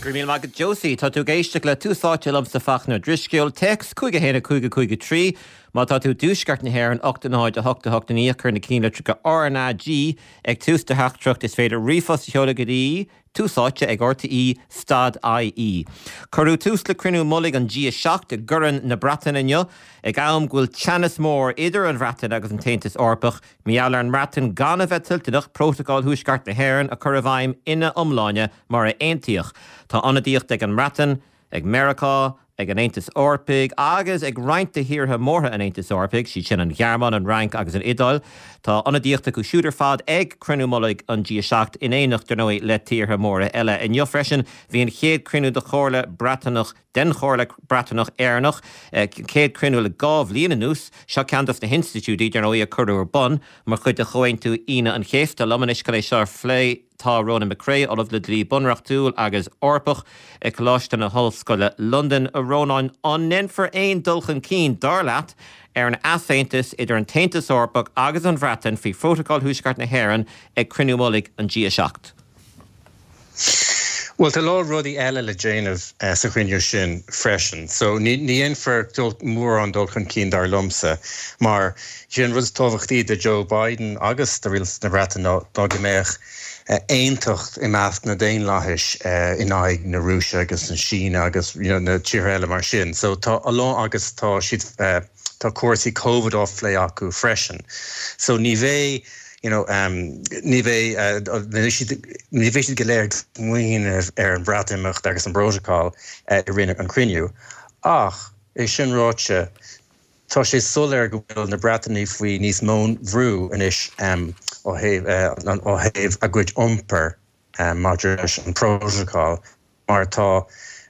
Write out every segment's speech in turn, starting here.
Go raibh míle maith agat Josie. Tá tú ag éisteacht le Tús Áite liomsa Fachtna Ó Drisceoil. Téacs 5 1 5 5 3 Má tá tú i dtuaisceart na hÉireann 8 0 8 8 9 cuir na cinnlitreacha RnaG ag tús do theachtaireacht. Is féidir ríomhphost a sheoladh go dtí Tús Áite ag RTÉ stad IE. Cuireadh tús le cruinniú mullaigh an G7 i gCorn na Breataine inniu, ag am go bhfuil teannas mór idir an Bhreatain agus an tAontas Eorpach Mar gheall ar an mBreatain gan a bheith toilteanach Prótacal Thuaisceart na hÉireann a chur i bhfeidhm ina iomláine mar a aontaíodh. Tá ionadaíocht ag an mBreatain, ag Meiriceá, ag an Aontas Eorpaigh agus ag roinnt de thíortha mórtha an Aontais Eorpaigh, siad sin an Ghearmáin, an Fhrainc agus an Iodáil. Tá ionadaíocht acu siúd ar fad ag cruinniú mullaigh an G7 in éineacht, dar ndóigh, le tíortha móra eile. Inniu freisin bhí an chéad chruinniú de Chomhairle Breataineach den Chomhairle Breataineach Éireannach, chéad chruinniú le 2 bhliain anuas. Seo ceann dos na hinstitiúidí, dar ndóigh, a cuireadh ar bun mar chuid de Chomhaontú Aoine an Chéasta. Liom anois chun é seo a phlé tá Ronan McCrea, Ollamh le Dlí Bunreachtúil agus Eorpach ag Coláiste na hOllscoile Londain. A Rónáin, an ndéanfar aon dul chun cinn, dar leat, ar an easaontas idir an tAontas Eorpach agus an Bhreatain faoi Phrótacal Thuaisceart na hÉireann ag cruinniú mullaigh an G7? Bhuel, tá a lán rudaí eile le déanamh sa chruinniú sin freisin. So, ní dhéanfar mórán dul chun cinn dar liomsa, mar sé an rud is tábhachtaí do Joe Biden agus do rialtas na Breataine ná go mbeadh aontacht i measc na Daonlathais in aghaidh na Rúise agus na Síne agus you know na tíortha eile mar sin. So, tá a lán agus tá siad tá cúrsaí Covid á phlé acu freisin. So, ní bheidh you know, ní bheidh, ní bheidh siad go léir ag smaoineamh ar an Bhreatimeacht agus an bPrótacal i rith an chruinniú. Ach, é sin ráite, tá sé soiléir go bhfuil na Breatanaigh faoi níos mó bhrú anois ó thaobh, ó thaobh a gcuid iompair maidir leis an bPrótacal. mar tá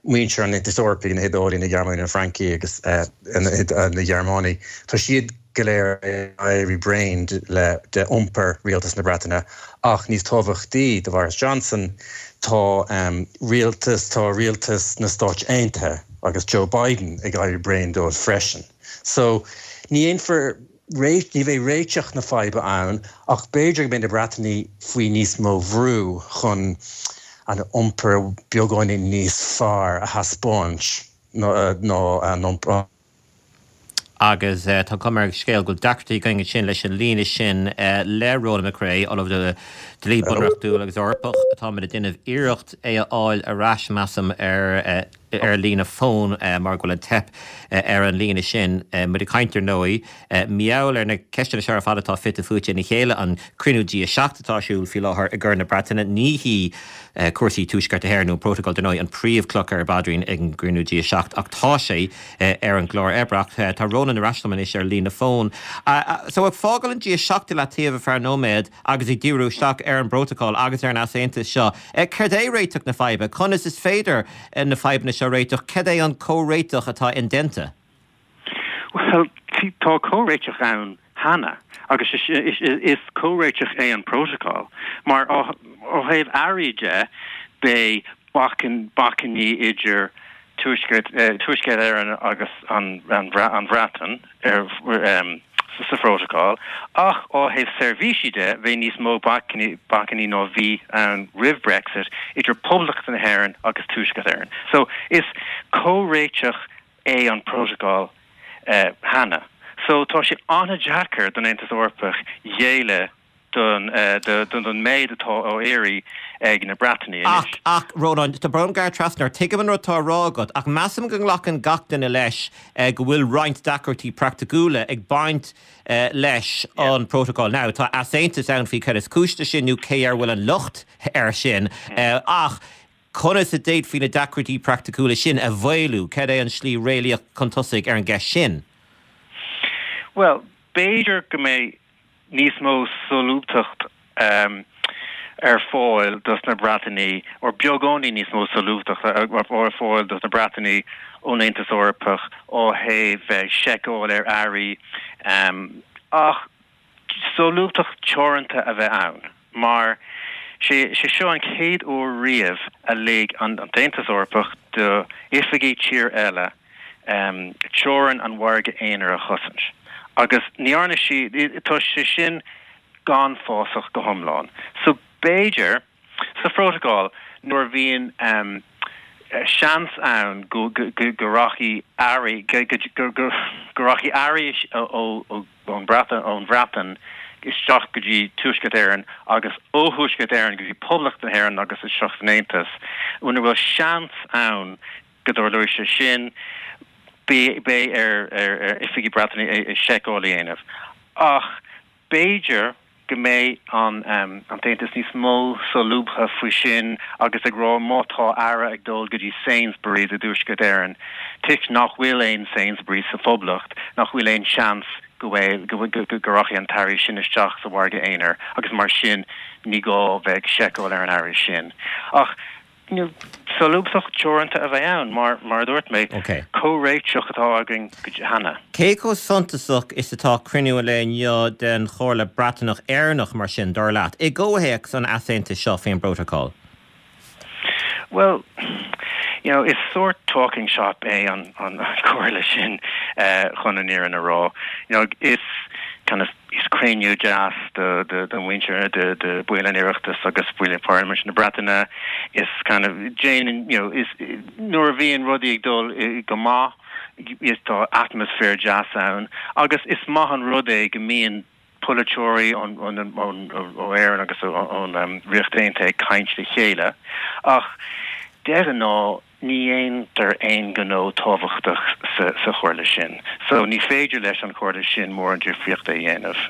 muintir an Aontais Eorpaigh, na hIodálaigh, na Gearmánaigh, na Francaigh agus na Gearmánaigh, tá siad go léir ag éirí bréan le de iompar rialtas na Breataine. Ach níos tábhachtaí do Boris Johnson, tá rialtas, tá rialtas na Stáit Aontaithe agus Joe Biden ag éirí bréan dóibh freisin. So, ní dhéanfar. Ní bheidh réiteach na faidhbe ann ach b'fhéidir go mbeidh na Breatanaigh faoi níos mó bhrú chun an iompar beagáinín níos fearr a thaispeáint ná an iompar. Agus tá an chuma ar an scéal go bhfuil deacrachtaí againn ansin leis an líne sin le Ronan McCrea, Ollamh le Dlí Bunreachtúil agus Eorpach. Táimid ag déanamh iarracht é a fháil ar ais, measaim, ar. ar líne fóin mar go bhfuil an teip ar an líne sin. Muid ag caint ar ndóigh mar gheall ar na ceisteanna seo ar fad atá fite fuaite ina chéile, an cruinniú G7 atá ar siúl faoi láthair i gCorn na Breataine. Ní hí cúrsaí Tuaisceart na hÉireann nó an Prótacal dar ndóigh an príomhchloch ar an bpaidrín ag an gcruinniú G7 ach tá sé ar an gclár oibre. Ach tá Ronan ar ais liom anois ar líne fóin. So ag fágáil an G7 i leataobh ar feadh nóiméad, Agus ag díriú isteach ar an bPrótacal agus ar an easaontas seo, céard é réiteach na faidhbe? Conas is féidir na fadhbanna seo a réiteach? Céard é an comhréiteach atá indéanta? Bhuel, tá comhréiteach ann cheana agus is comhréiteach é an Prótacal. Mar ó thaobh earraí de, beidh bacainní idir Tuaisceart Éireann agus an Bhreatain sa Phrótacal, ach ó thaobh seirbhísí de, bheidh níos mó bacainní ná bhí ann roimh Brexit idir Poblacht na hÉireann agus Tuaisceart Éireann. So, is comhréiteach é an Prótacal cheana. So, tá sé an-deacair don Aontas Eorpach géilleadh don méid atá á iarraidh ag na Breatanaigh anois. Ach, ach, Rónán, tá brón orm gearradh trasna ort, tuigim an rud atá á rá agat, ach measaim go nglacann gach duine leis go bhfuil roinnt deacrachtaí praiticiúla ag baint leis an bprótacal. Now, tá easaontas ann faoi cad is cúis leis sin nó cé air a bhfuil an locht air sin, ach conas a d'fhéadfaí na deacrachtaí praiticiúla sin a mhaolú? Cad é an slí réalaíoch chun tosaigh ar an gceist sin? Bhuel, b'fhéidir go mbeidh níos mó solúbthacht ar fáil dos na Breatanaigh, or beagáinín níos mó solúbthacht ar fáil dos na Breatanaigh ón Aontas Eorpach ó thaobh seiceáil ar earraí, ach solúbthacht teoranta a bheith ann, mar sé seo an chéad uair riamh a lig an tAontas Eorpach do oifigigh tír eile teorainn an mhargaidh aonair a chosaint. Agus ní dhearna sí, tá sé sin gan fásach go hiomlán. So b'fhéidir, sa phrótacal, nuair a bhíonn. seans ann go rachaidh earraí go rachaidh earraí ón Bhreatain isteach go dtí Tuaisceart Éireann agus ó Thuaisceart Éireann go dtí Poblacht na hÉireann agus isteach san Aontas. Muna bhfuil seans ann go dtarlóidh sé sin, beidh ar oifigigh Breataine seiceáil a dhéanamh. Ach b'fhéidir go mbeidh an tAontas níos mó solúbtha faoi sin agus ag rá má tá earra ag dul go dtí Sainsbury's i dTuaisceart Éireann, toisc nach bhfuil aon Sainsbury's sa Phoblacht, nach bhfuil aon seans go bhfuil, go rachaidh an t-earraí sin isteach sa mhargadh aonair agus mar sin ní gá bheith ag seiceáil ar an earraí sin. Ach. Solúbthacht teoranta a bheidh ann, mar, mar a dúirt mé, comhréiteach atá againn cheana. Cé chomh suntasach is atá cruinniú an lae inniu den Chomhairle Breataineach-Éireannach, mar sin, dar leat, i gcomhthéacs an easaontais seo faoin bprótacal? Bhuel, you know, is sórt talking shop é an chomhairle sin, chun an fhírinne a rá. You know, is kind of. Is cruinniú deas do mhuintir, do bhaill an Oireachtais agus baill Pharlaimint na Breataine. Is kind of déanann, you know, is nuair a bhíonn rudaí ag dul go maith, is tá atmaisféar deas ann agus is maith an rud é go mbíonn polaiteoirí ón ó Éirinn agus ón Ríocht Aontaithe ag caint le chéile. Ach de ghnáth, Ní dhéantar aon ghnó tábhachtach sa chomhairle sin. So ní féidir leis an chomhairle sin mórán difríochta a dhéanamh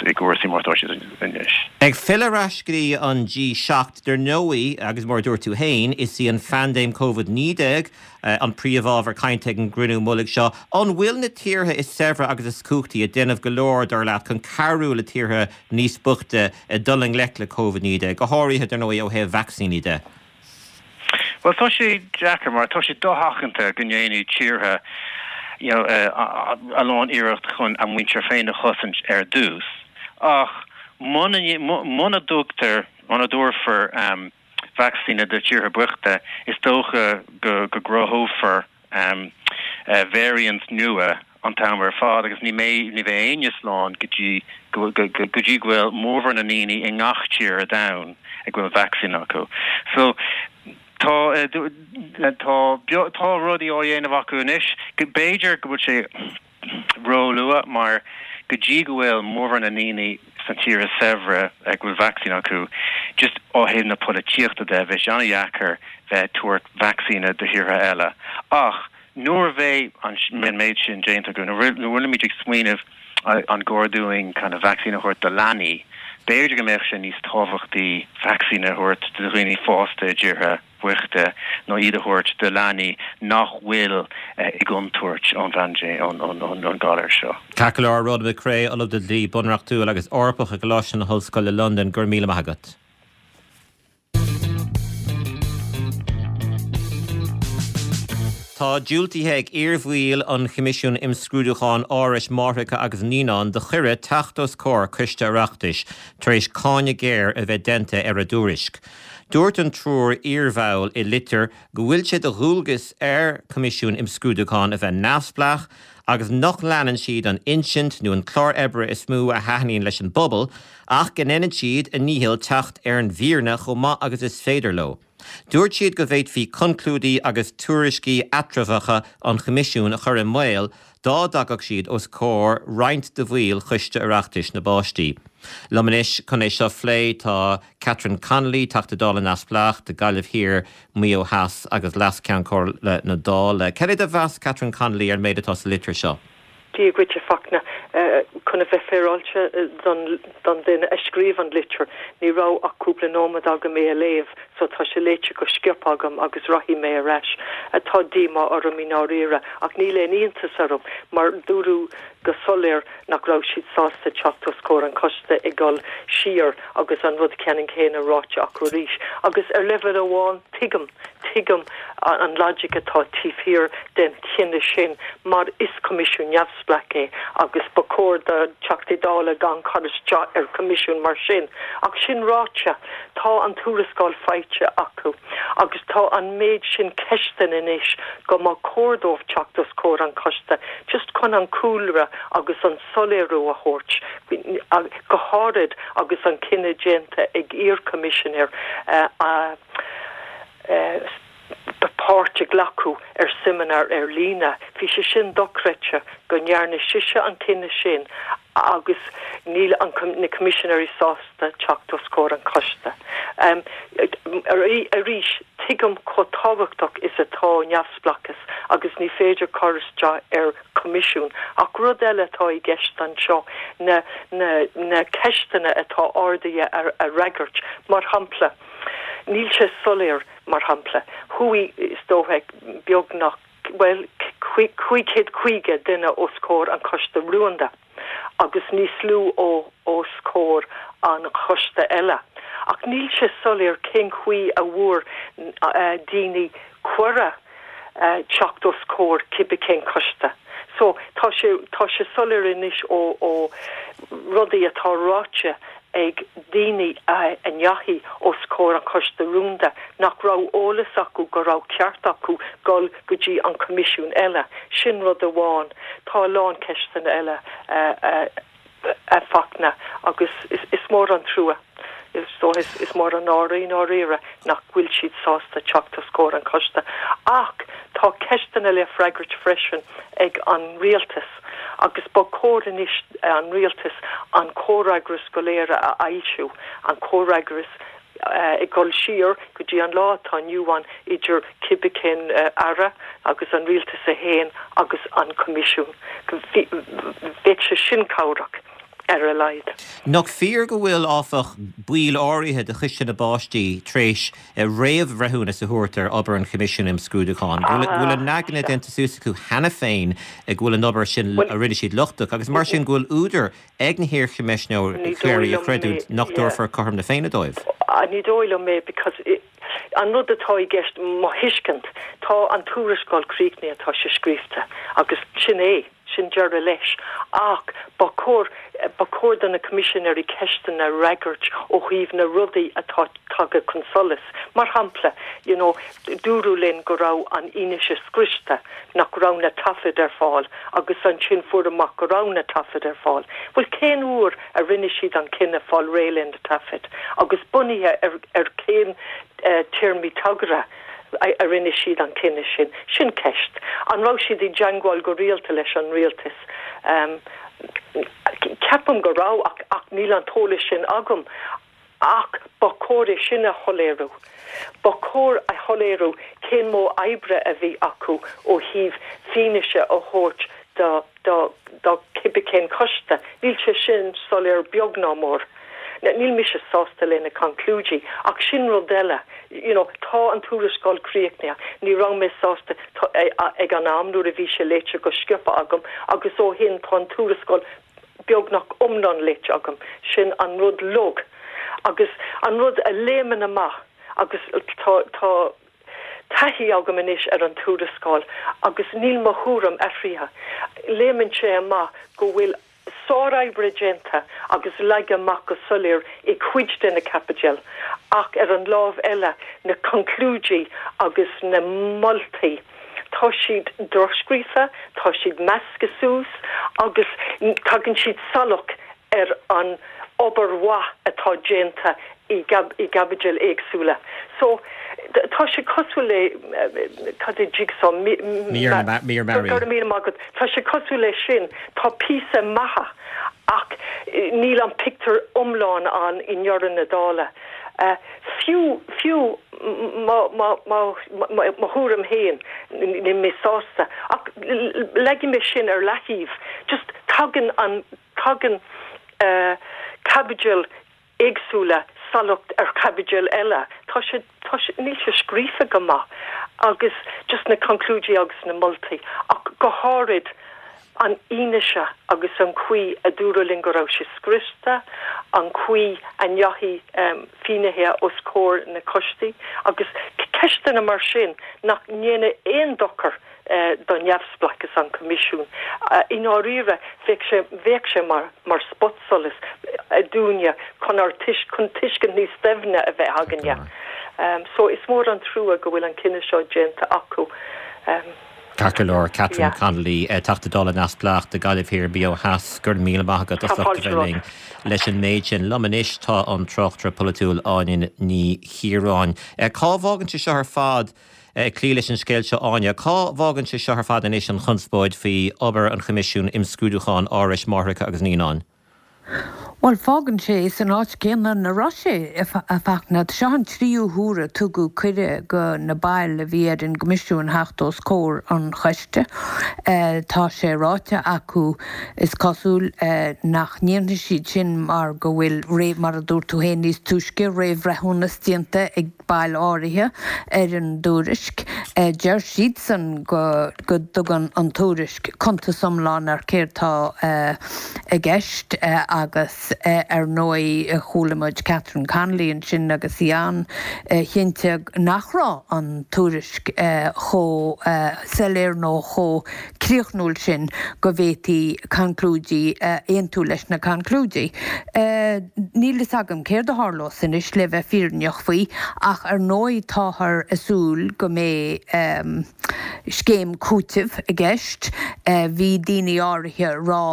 i gcúrsaí mar atá siad anois. Ag filleadh ar ais go dtí an G7, dar ndóigh, agus mar a dúirt tú féin, is í an phaindéim Covid-19 an príomhábhar cainte ag an gcruinniú mullaigh seo. An bhfuil na tíortha is saibhre agus is cumhachtaí ag déanamh go leor, dar leat, chun cabhrú le tíortha níos boichte dul i ngleic le Covid-19, go háirithe, dar ndóigh, ó thaobh vacsaíní de? Bhuel, tá sé deacair mar tá sé dosheachanta go ndéanfaidh tíortha you know a lán iarracht chun a muintir féin a chosaint ar dtús ach muna muna dtugtar, muna dtabharfar vacsaíní do tíortha boichte is dócha go go gcruthófar variants nua an t-am ar fad agus ní mbeidh, ní bheidh éinne slán go dtí go, go dtí go bhfuil mórmhór na ndaoine i ngach tír ar domhan ag bhfuil vacsaín acu. So tá, tá, tá rudaí á dhéanamh acu anois. B'fhéidir go bhfuil sé róluath mar go dtí go bhfuil mórmhór na ndaoine sna tíortha saibhre ag bhfuil vacsaín acu, just ó thaobh na polaitíochta de, bheadh sé an-dheacair bheith ag tabhairt vacsaíne do thíortha eile. Ach nuair a bheidh an méid sin déanta acu, nuair a bhfuilimid ag smaoineamh an gcóir dúinn kind of vacsaín a thabhairt do leanaí, b'fhéidir go mbeadh sé níos tábhachtaí vacsaín a thabhairt do dhaoine fásta i dtíortha boichte ná iad a thabhairt do leanaí nach bhfuil i gcontúirt ón bpaindéim, ón galar seo. Ceart go leor, Ronan McCrea, Ollamh de Dhlí Bunreachtúil agus Eorpach i gColáiste na hOllscoile Londain, go raibh míle maith agat. Tá diúltaithe ag iarbhaill an Choimisiúin Imscrúdúcháin Árais Máithreacha agus Naíonán do chuireadh teacht os comhair Coiste Oireachtais tar éis cáineadh géar a bheith déanta ar a dtuairisc. Dúirt an triúr iarbhall i litir go bhfuil sé de dhualgas ar Choimisiún Imscrúdúcháin a bheith neamhspleách agus nach leanann siad an insint nó an clár oibre is mó a thaitníonn leis an bpobal ach go ndéanann siad a ndícheall teacht ar an bhfírinne chomh maith agus is féidir leo. Dúirt siad go bhféadfaí conclúidí agus tuairiscí eatramhacha an Choimisiúin a chur i mbaol dá dtagadh siad os comhair roinnt de bhaill Choiste Oireachtais na bPáistí. Liom anois chun é seo a phlé tá Catherine Connolly, Teachta Dála Neamhspleách do Gaillimh Thiar, Maigh Eo Theas agus Leas-Cheann Comhairle na Dála. Cad é do mheas Catherine Connolly ar an méid atá sa litir seo? Dia dhuit, a Fachtna. Chun a bheith féaráilte don duine a scríobh an litir, ní raibh ach cúpla nóiméad agam é a léamh, so tá sé léite go sciobtha agam agus rachaidh mé ar ais. Tá díomá orm i ndáiríre, ach níl aon iontas orm, mar dúradh go soiléir nach raibh siad sásta teacht os comhair an choiste ag dul siar agus an rud ceannann céanna ráite acu arís. Agus ar leibhéal amháin, tuigim. Tuigim an logic atá taobh thiar den chinneadh sin mar is coimisiún neamhspleách é agus ba chóir do Theachtaí Dála gan cur isteach ar choimisiún mar sin. Ach sin ráite, tá an tuarascáil faighte acu agus tá an méid sin ceisteanna anois go mba chóir dóibh teacht os comhair an choiste just chun an cúlra agus an soiléiriú a thabhairt, go háirid agus an cinneadh déanta ag iar-choimisinéir a. Páirt a ghlacadh ar seimineár ar líne. Bhí sé sin dochreidte go ndearna sise an cinneadh sin agus níl an na Coimisinéirí sásta teacht os comhair an choiste. Arís, tuigim chomh tábhachtach is atá neamhspleáchas agus ní féidir cur isteach ar Choimisiún. Ach rud eile atá i gceist anseo na na ceisteanna atá ardaithe a fhreagairt. Mar shampla, níl sé soiléir Mar shampla, chuaigh, is dócha, beagnach, bhuel, 550 duine os comhair an Choiste Rúnda agus níos lú os comhair an choiste eile. Ach níl sé soiléir cén chaoi a bhfuair daoine cuireadh teacht os comhair cibé cén coiste. So, tá sé, tá sé soiléir anois ó, ó rudaí atá ráite ag daoine a ndeachaigh os comhair an Choiste Rúnda nach raibh eolas acu go raibh ceart acu dul go dtí an Coimisiún eile. Sin rud amháin. Tá a lán ceisteanna eile a Fachtna agus is mór an trua, is dóigh, is mór an náire i ndáiríre nach bhfuil siad sásta teacht os comhair an choiste. Ach tá ceisteanna le freagairt freisin ag an rialtas. Agus ba chóir anois an rialtas an comhfhreagras go léir a fhoilsiú, an comhfhreagras ag dul siar go dtí an lá atá inniu ann idir cibé cén aire agus an rialtas é féin agus an Coimisiún. Bheadh sé sin cabhrach ar a laghad. Nach fíor go bhfuil, áfach, baill áirithe de Choiste na bPáistí tar éis réamhbhreithiúnas a thabhairt ar obair an Choimisiúin Imscrúdúcháin, go bhfuil a n-aigne déanta suas acu cheana féin go bhfuil an obair sin a rinne siad lochtach agus mar sin go bhfuil údar ag na hiarchoimisinéirí a chreidiúint nach dtabharfar cothrom na Féinne dóibh? Ní dóigh liom é because an rud atá i gceist, mo thuiscint, tá an tuarascáil críochnaithe, tá sé scríofa agus sin é. Sin deireadh leis. Ach ba chóir, ba chóir do na Coimisinéirí ceisteanna a fhreagairt ó thaobh na rudaí atá tagtha chun solais. Mar shampla, you know, dúradh linn go raibh an fhianaise scriosta, nach raibh na taifid ar fáil agus ansin fuaireadh amach go raibh na taifid ar fáil. Bhuel, cén uair a rinne siad an cinneadh fáil réidh le na taifid agus bunaithe ar, ar cén téarmaí tagartha? a rinne siad an cinneadh sin? Sin ceist. An raibh siad i dteangmháil go rialta leis an rialtas? Ceapaim go raibh ach ach níl an t-eolas sin agam. Ach ba chóir é sin a shoiléiriú. Ba chóir a shoiléiriú cén modh oibre a bhí acu ó thaobh fianaise a thabhairt do do do cibé cén coiste. Níl sé sin soiléir beag ná mór. Níl mise sásta le na conclúidí ach sin rud eile. You know, tá an tuarascáil críochnaithe. Ní raibh mé sásta ag an am nuair a bhí sé léite go sciobtha agam agus ó shin tá an tuarascáil beagnach iomlán léite agam. Sin an rud log agus an rud a léimeann amach agus tá tá taithí agam anois ar an tuarascáil agus níl mo thuairim athraithe. Léimeann sé amach go bhfuil sároibre déanta agus leagtha amach go soiléir i cuid de na caibidil ach ar an lámh eile na conclúidí agus na moltaí, tá siad drochscríofa, tá siad measctha suas agus tagann siad salach ar an obair mhaith atá déanta i gcaibidil éagsúla. So, tá sé cosúil le, cad é jigsaw? Mír mearaí. Go raibh míle maith agat. Tá sé cosúil leis sin. Tá píosa maithe ach níl an pictiúr iomlán ann i ndeireadh na dála. Fiú, fiú mo, mo, mo, mo thuairim féin, níl mé sásta. Ach leagfaidh mé sin ar leathaobh. Just tagann an, tagann caibidil éagsúla salach ar chaibidil eile. Tá sé, tá sé, níl sé scríofa go maith agus just na conclúidí agus na moltaí ach go háirid an fhianaise agus an chaoi a dúradh linn go raibh sé scriosta, an chaoi a ndeachaigh finnéithe os comhair na coistí agus ceisteanna mar sin nach ndéanadh aon dochar do neamhspleáchas an Choimisiúin. I ndáiríre, bheadh sé, bheadh sé mar, mar spotsolas dúinne chun ár, chun tuiscint níos doimhne a bheith againne. So, is mór an trua go bhfuil an cinneadh seo déanta acu. Ceart go leor, Catherine Connolly, Teachta Dála Neamhspleách do Ghaillimh Thiar, Maigh Eo Theas, go raibh míle maith agat as ucht a bheith linn leis an méid sin. Liom anois tá an tráchtaire polaitiúil Áine Ní Chiaráin. Cá bhfágann sé seo ar fad, ag cloí leis an scéal seo Áine, cá bhfágann sé seo ar fad anois an chonspóid faoi obair an Choimisiúin Imscrúdúcháin Árais Máithreacha agus Naíonáin? Bhuel, fágann sé san áit céanna ina raibh sé, a Fachtna. Seo an tríú huair a tugadh cuireadh go na baill a bhí ar an gCoimisiún theacht os comhair an choiste. Tá sé ráite acu, is cosúil, nach ndéanfaidh siad sin mar go bhfuil, mar a dúirt tú féin níos túisce, réamhbhreithiúnas déanta ag baill áirithe ar an dtuairisc. Deir siadsan go dtugann an tuairisc cuntas iomlán ar céard tá i gceist agus ar ndóigh chuala muid Catherine Connolly ansin agus í an-chinnte nach raibh an tuairisc chomh soiléir nó chomh críochnúil sin go bhféadfaí conclúidí a aontú leis na conclúidí. Níl fhios agam céard a tharlós anois le bheith fírinneach faoi ach ar ndóigh táthar ag súil go mbeidh scéim cúitimh i gceist. Bhí daoine áirithe ag rá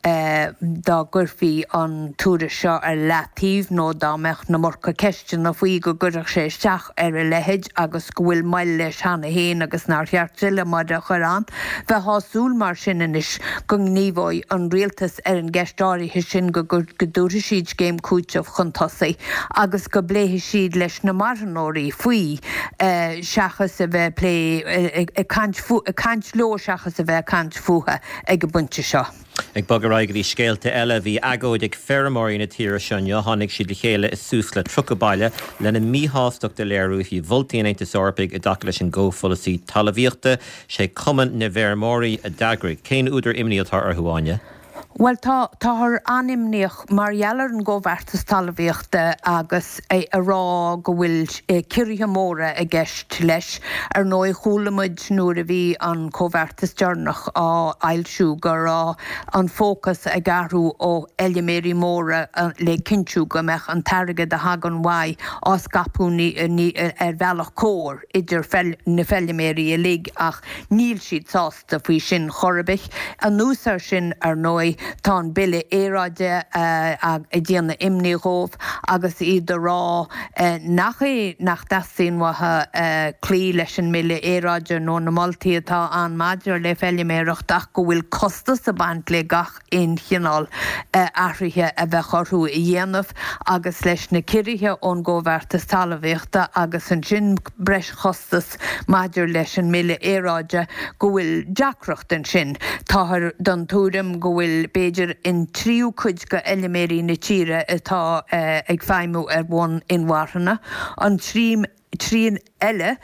dá gcuirfí an tuairisc seo ar leataobh nó dá mbeadh an iomarca ceisteanna faoi go gcuirfeadh sé isteach ar a leithéid agus go bhfuil moill leis cheana féin agus nár cheart tuilleadh moille a chur ann. Bheifeá ag súil mar sin anois go ngníomhóidh an rialtas ar an gceist áirithe sin, go dtabharfaidh siad scéim cúitimh chun tosaigh agus go bpléifidh siad leis na marthanóirí faoi seachas a bheith ag plé, ag caint leo seachas a bheith ag caint fúthu ag an bpointe seo. Ag bogadh ar aghaidh go dtí scéalta eile, bhí agóid ag feirmeoirí na tíre seo inniu. Tháinig siad le chéile i suas le 30 baile lena míshástacht a léiriú faoi mholtaí an Aontais Eorpaigh i dtaca leis an gcomhpholasaí talmhaíochta. Sé Cumann na bhFeirmeoirí a d'eagraigh. Cén údar imní atá orthu, Áine? Bhuel, tá, táthar an-imníoch mar gheall ar an gcomhbheartas talmhaíochta agus ag rá go bhfuil ciorruithe móra i gceist leis. Ar ndóigh, chuala muid nuair a bhí an comhbheartas deireanach á fhoilsiú go raibh an fócas ag athrú ó fheilméaraí móra le cinntiú go mbeadh an t-airgead a thagann uaidh á scaipeadh ar bhealach cóir idir na feilméaraí uilig ach níl siad sásta. faoi sin chor ar bith. Anuas air sin, ar ndóigh, tá an Bille Aeráide ag déanamh imní dhóibh agus iad ag rá nach é nach dteastaíonn uathu cloí leis an mBille Aeráide nó na moltaí atá ann maidir le feilméireacht ach go bhfuil costas ag baint le gach aon chineál athraithe a bheadh orthu a dhéanamh agus leis na ciorruithe ón gComhbheartas Talmhaíochta agus ansin breis chostas maidir leis an mBille Aeráide go bhfuil deacracht ansin. Táthar den tuairim go bhfuil b'fhéidir an tríú cuid de fheilméaraí na tíre atá ag feidhmiú ar bhonn inmharthana, an trian eile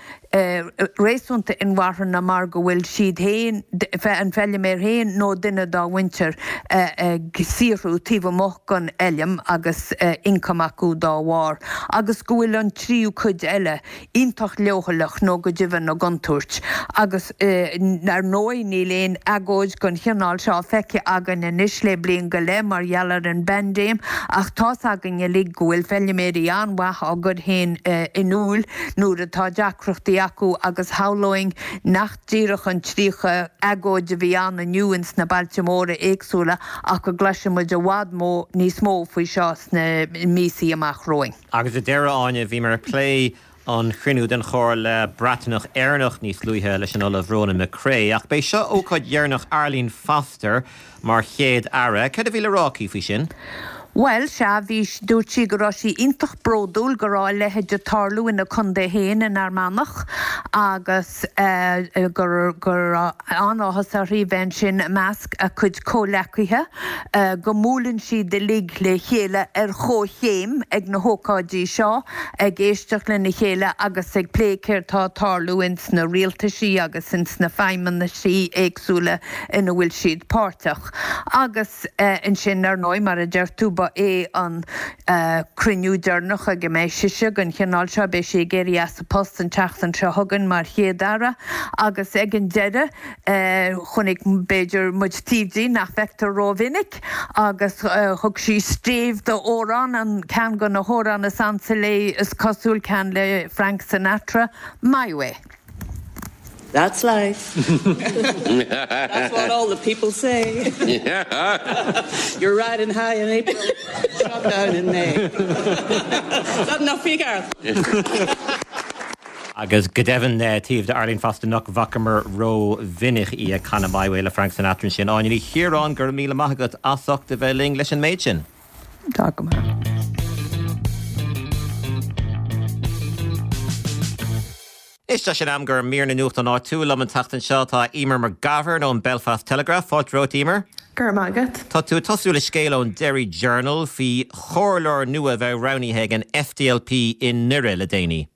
réasúnta inmharthana mar go bhfuil siad féin, an feilméar féin nó duine dá mhuintir ag saothrú taobh amuigh den fheilm agus ioncam acu dá bharr, agus go bhfuil an tríú cuid eile iontach leochaileach nó go deimhin i gcontúirt. Agus ar ndóigh níl aon agóid den chineál seo feicthe againn anois le bliain go leith mar gheall ar an bpaindéim ach tá's againn uilig go bhfuil feilméaraí an-mhaith á gcur féin in iúl nuair atá deacrachtaí acu agus shamhlóinn nach díreach an 30 agóid a bhí ann inniu ins na bailte móra éagsúla ach go gcloisfidh muid i bhfad níos mó faoi seo sna míosaí amach romhainn. Agus ar deireadh, Áine, bhíomar ag plé an chruinniú den Chomhairle Breataineach-Éireannach níos luaithe leis an Ollamh Ronan McCrea, ach b'é seo ócáid dheireanach Arlene Foster mar Chéad-Aire. Céard a bhí le rá aici faoi sin? Bhuel, sea, bhí, dúirt sí go raibh sí iontach bródúil go raibh a leithéid ag tarlú ina contae féin in Fhear Manach agus go raibh an-áthas uirthi bheith ansin i measc a cuid comhleacaithe. go mbuaileann siad uilig le chéile ar chomhchéim ag na hócáidí seo, ag éisteacht lena chéile agus ag plé céard tá ag tarlú ins na rialtaisí agus ins na feidhmeannaisí éagsúla ina bhfuil siad páirteach. Agus ansin, ar ndóigh, mar a deir tú, ba é an cruinniú deireanach ag a mbeidh sise den chineál seo, beidh sí ag éirí as a post an tseachtain seo chugainn mar Chéad-Aire agus ag an deireadh, Chonaic, b'fhéidir, muid taobh di nach bhfeictear rómhinic agus thug sí stéibh d'amhrán, an ceann de na hamhráin is ansa léi is cosúil, ceann le Frank Sinatra, My Way. That's life. That's what all the people say. You're riding high in April, shot down in May. Is that enough for you, Gareth? Agus go deimhin, taobh d'Arlene Foster nach bhfacamar ró-mhinic í ag canadh My Way le Frank Sinatra ansin. Áine Ní Chiaráin, go raibh míle maith agat as ucht a bheith linn leis an méid sin. Tá go maith. Anois tá sé in am do mhír na nuachtán áitiúil. Liom an tseachtain seo tá Eimear McGovern ón Belfast Telegraph. Fáilte romhat, Eimear. Go raibh maith agat. Tá tú ag tosú le scéal ón Derry Journal faoi chomhairleoir nua a bheith roghnaithe ag an SDLP i nDoire le déanaí.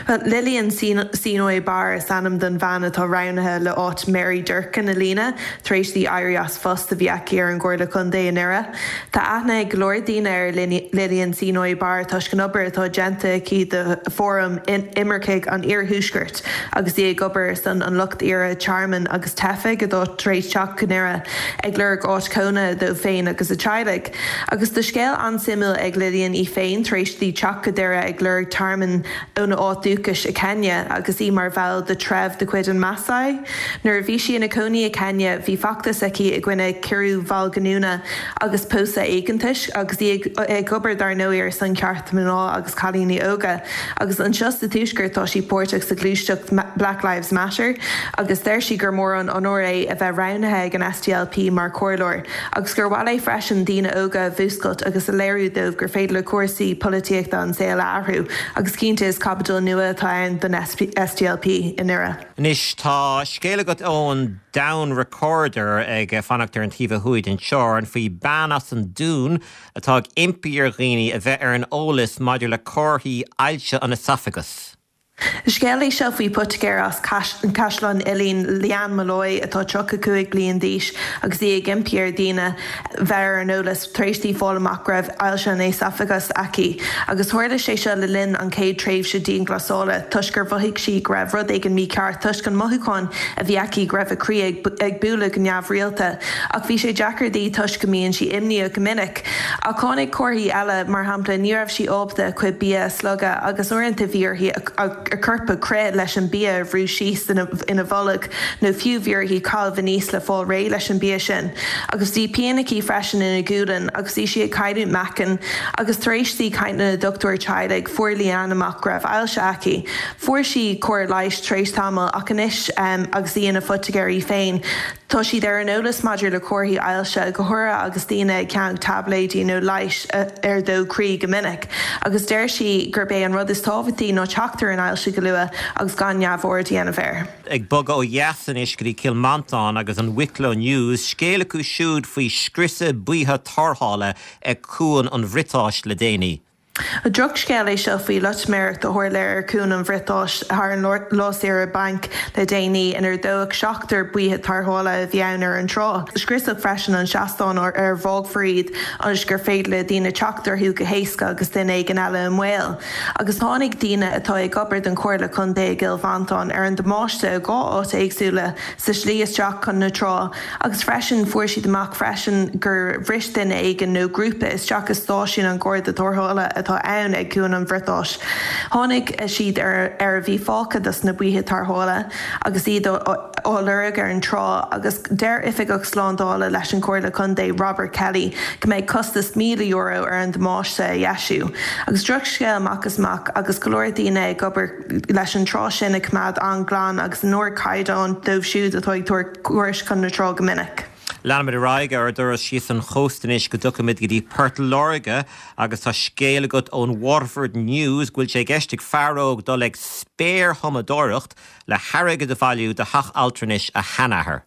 Bhuel, Lillian Seenoi Barr is ainm don bhean atá roghnaithe le áit Mary Durkan a líonadh tar éis di éirí as phost a bhí aici ar an gComhairle Contae i nDoire. Tá aithne ag go leor daoine ar Lillian Seenoi Barr toisc an obair atá déanta aici do Fóram Imircigh an Iarthuaiscirt agus í ag obair ar son an lucht iarrtha tearmainn agus teifigh atá tar éis teacht go Doire ag lorg áit chónaithe dóibh féin agus a teaghlaigh. Agus tá scéal an-suimiúil ag Lillian í féin tar éis di teacht go Doire ag lorg tearmainn óna áit dúchais i Kenya agus í mar bhall de treibh de chuid an Maasai. Nuair a bhí sí ina cónaí i Kenya bhí feachtas aici i gcoinne ciorrú mhallghiniúna agus pósadh éigeantais agus í ag obair dar ndóigh ar son cearta mná agus cailíní óga. Agus anseo sa Tuaisceart tá sí páirteach sa ghluaiseacht Black Lives Matter agus deir sí gur mór an onóir é a bheith roghnaithe ag an SDLP mar chomhairleoir. Agus gur mhaith léi freisin daoine óga a mhúscailt agus a léiriú dóibh gur féidir le cúrsaí polaitíochta an saol a athrú, agus cinnte is caibidil nua atá ann don SDLP i nDoire. Anois tá scéal agat ón Down Recorder ag fanacht ar an taobh ó thuaidh den teorainn faoi bean as an Dún atá ag impí ar dhaoine a bheith ar an eolas maidir le comharthaí ailse an easafagais. Scéal é seo faoi poitigéir as Caisleán Uidhilín, Leanne Molloy, atá 35 bliain d'aois agus í ag impí ar dhaoine bheith ar an eolas tar éis di fáil amach go raibh ailse an éasafagais aici. Agus tharla sé seo le linn an chéad tréimhse dianghlasála toisc gur mhothaigh sí go raibh rud éigin mícheart toisc an mothúchán a bhí aici go raibh a croí ag bualadh go neamhrialta. Ach bhí sé deacair di toisc go mbíonn sí imníoch go minic. Ach tháinig comharthaí eile, mar shampla ní raibh sí ábalta a cuid bia a slogadh agus uaireanta bhí uirthi a corp a chrith leis an bia a bhrú síos ina bolg nó fiú bhí uirthi caitheamh aníos le fáil réidh leis an bia sin. Agus bhí pian aici freisin ina gualainn agus bhí sí ag cailliúint meáchain agus tar éis di caint lena dochtúir teaghlaigh fuair Leanne amach go raibh ailse aici. Fuair sí cóir leighis tar éis tamaill ach anois agus í ina phoitigéir í féin, Tá siad ar an eolas maidir le comharthaí ailse, go háirithe agus daoine ag ceannach taibléidí nó leighis ar dó croí go minic, agus deir sí gurb é an rud is tábhachtaí ná teacht ar an ailse go luath agus gan neamhaird a dhéanamh air. Ag bogadh ó dheas anois go dtí Cill Mhantáin agus an Wicklow News, scéal acu siúd faoi scriosadh baoithe tarrthála ag Cuan an Bhriotáis le déanaí. Drochscéal é seo faoi loitiméireacht a tharla ar Chuan an Bhriotáis thar an lá saoire bainc le déanaí, inar dódh seachtar baoithe tarrthála a bhí ann ar an trá. Scriosadh freisin an seastán ar ar bhfágfar iad ionas gur féidir le daoine teacht orthu go héasca agus duine éigin eile i mbaol. Agus tháinig daoine atá ag obair don Chomhairle Contae i gCill Mhantáin ar an damáiste i dhá áit éagsúla sa slí isteach chun na trá Agus freisin, fuair siad amach freisin gur bhris duine éigin nó grúpa isteach i stáisiún an Gharda Tarrthála atá ann ag Cuan an Bhriotáis. Tháinig siad ar ar a bhí fágtha dos na baoithe tarrthála agus iad á lorg ar an trá agus deir Oifigeach Slándála leis an Chomhairle Contae, Robert Kelly, go mbeidh costas €1,000 ar an damáiste a dheisiú. Agus drochscéal amach is amach agus go leor daoine ag obair leis an trá sin a choimeád an-ghlan agus in ardchaighdeán dóibh siúd atá ag tabhairt cuairt chun na trá go minic. Leanfaimid ar aghaidh ar ár dturas síos an chósta anois go dtiocfaimid go dtí Port Láirge agus tá scéal agat ón Waterford News go bhfuil sé i gceist ag fear óg dul ag spéirthumadóireacht le hairgead a bhailiú do theach altranais a sheanathar.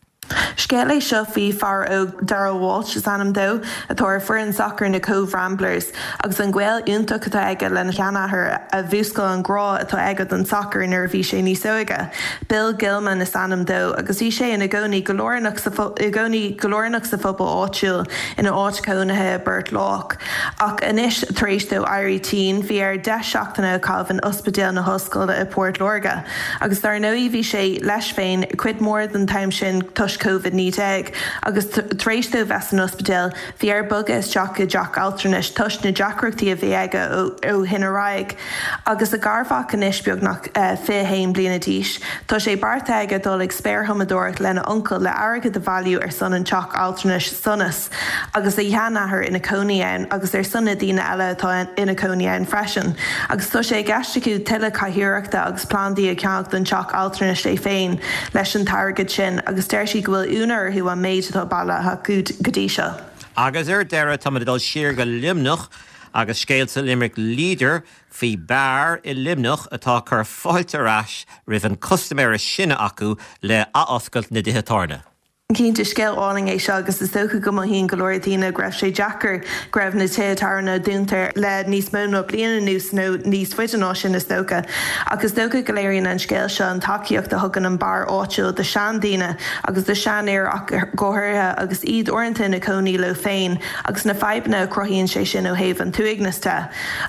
Scéal é seo faoi fear óg, Darragh Walsh is ainm dó, atá ar foireann sacair na Cobh Ramblers agus an gaol iontach atá aige lena sheanathair a mhúscail an grá atá aige don sacar nuair a bhí sé níos óige. Bill Gilman is ainm dó agus bhí sé ina gcónaí go lárnach sa i gcónaí go lárnach sa phobal áitiúil ina áit chónaithe i bPort Lách. Ach anois, tar éis dó éirí tinn, bhí air 10 seachtaine a chaitheamh in Ospidéal na hOllscoile i bPort Láirge. Agus dar ndóigh bhí sé leis féin cuid mhór den t-am sin toisc. toisc Covid-19 agus tar éis dó bheith san ospidéal bhí air bogadh isteach i dteach altranais toisc na deacrachtaí a bhí aige ó shin ar aghaidh. Agus a garmhac anois beagnach 21 bliana d'aois, tá sé beartaithe aige dul ag spéirthumadóireacht lena uncail le airgead a bhailiú ar son an teach altranais Sonas agus a sheanathair ina cónaí ann agus ar son na daoine eile atá ina cónaí ann freisin. Agus tá sé i gceist acu tuilleadh cathaoireachta agus plandaí a cheannach don teach altranais é féin leis an t-airgead sin agus deir siad go bhfuil ionadh orthu an méid atá bailithe acu go dtí seo. Agus ar deireadh, táimid ag dul siar go Luimneach agus scéal sa Limerick Leader faoi beár i Luimneach atá ag cur fáilte ar ais roimh an custaiméir is sine acu le athoscailt na dtithe tábhairne. Cinnte, scéal álainn é seo agus is dócha go mothaíonn go leor daoine go raibh sé deacair go raibh na tithe tábhairne dúnta le níos mó ná bliain anuas nó níos faide ná sin is dócha. Ach is dócha go léiríonn an scéal seo an tacaíocht a thugann an beár áitiúil do seandaoine agus do seanfhir ach go háirithe agus iad uaireanta ina cónaí leo féin agus na fadhbanna a chruthaíonn sé sin ó thaobh an t-uaigneas de.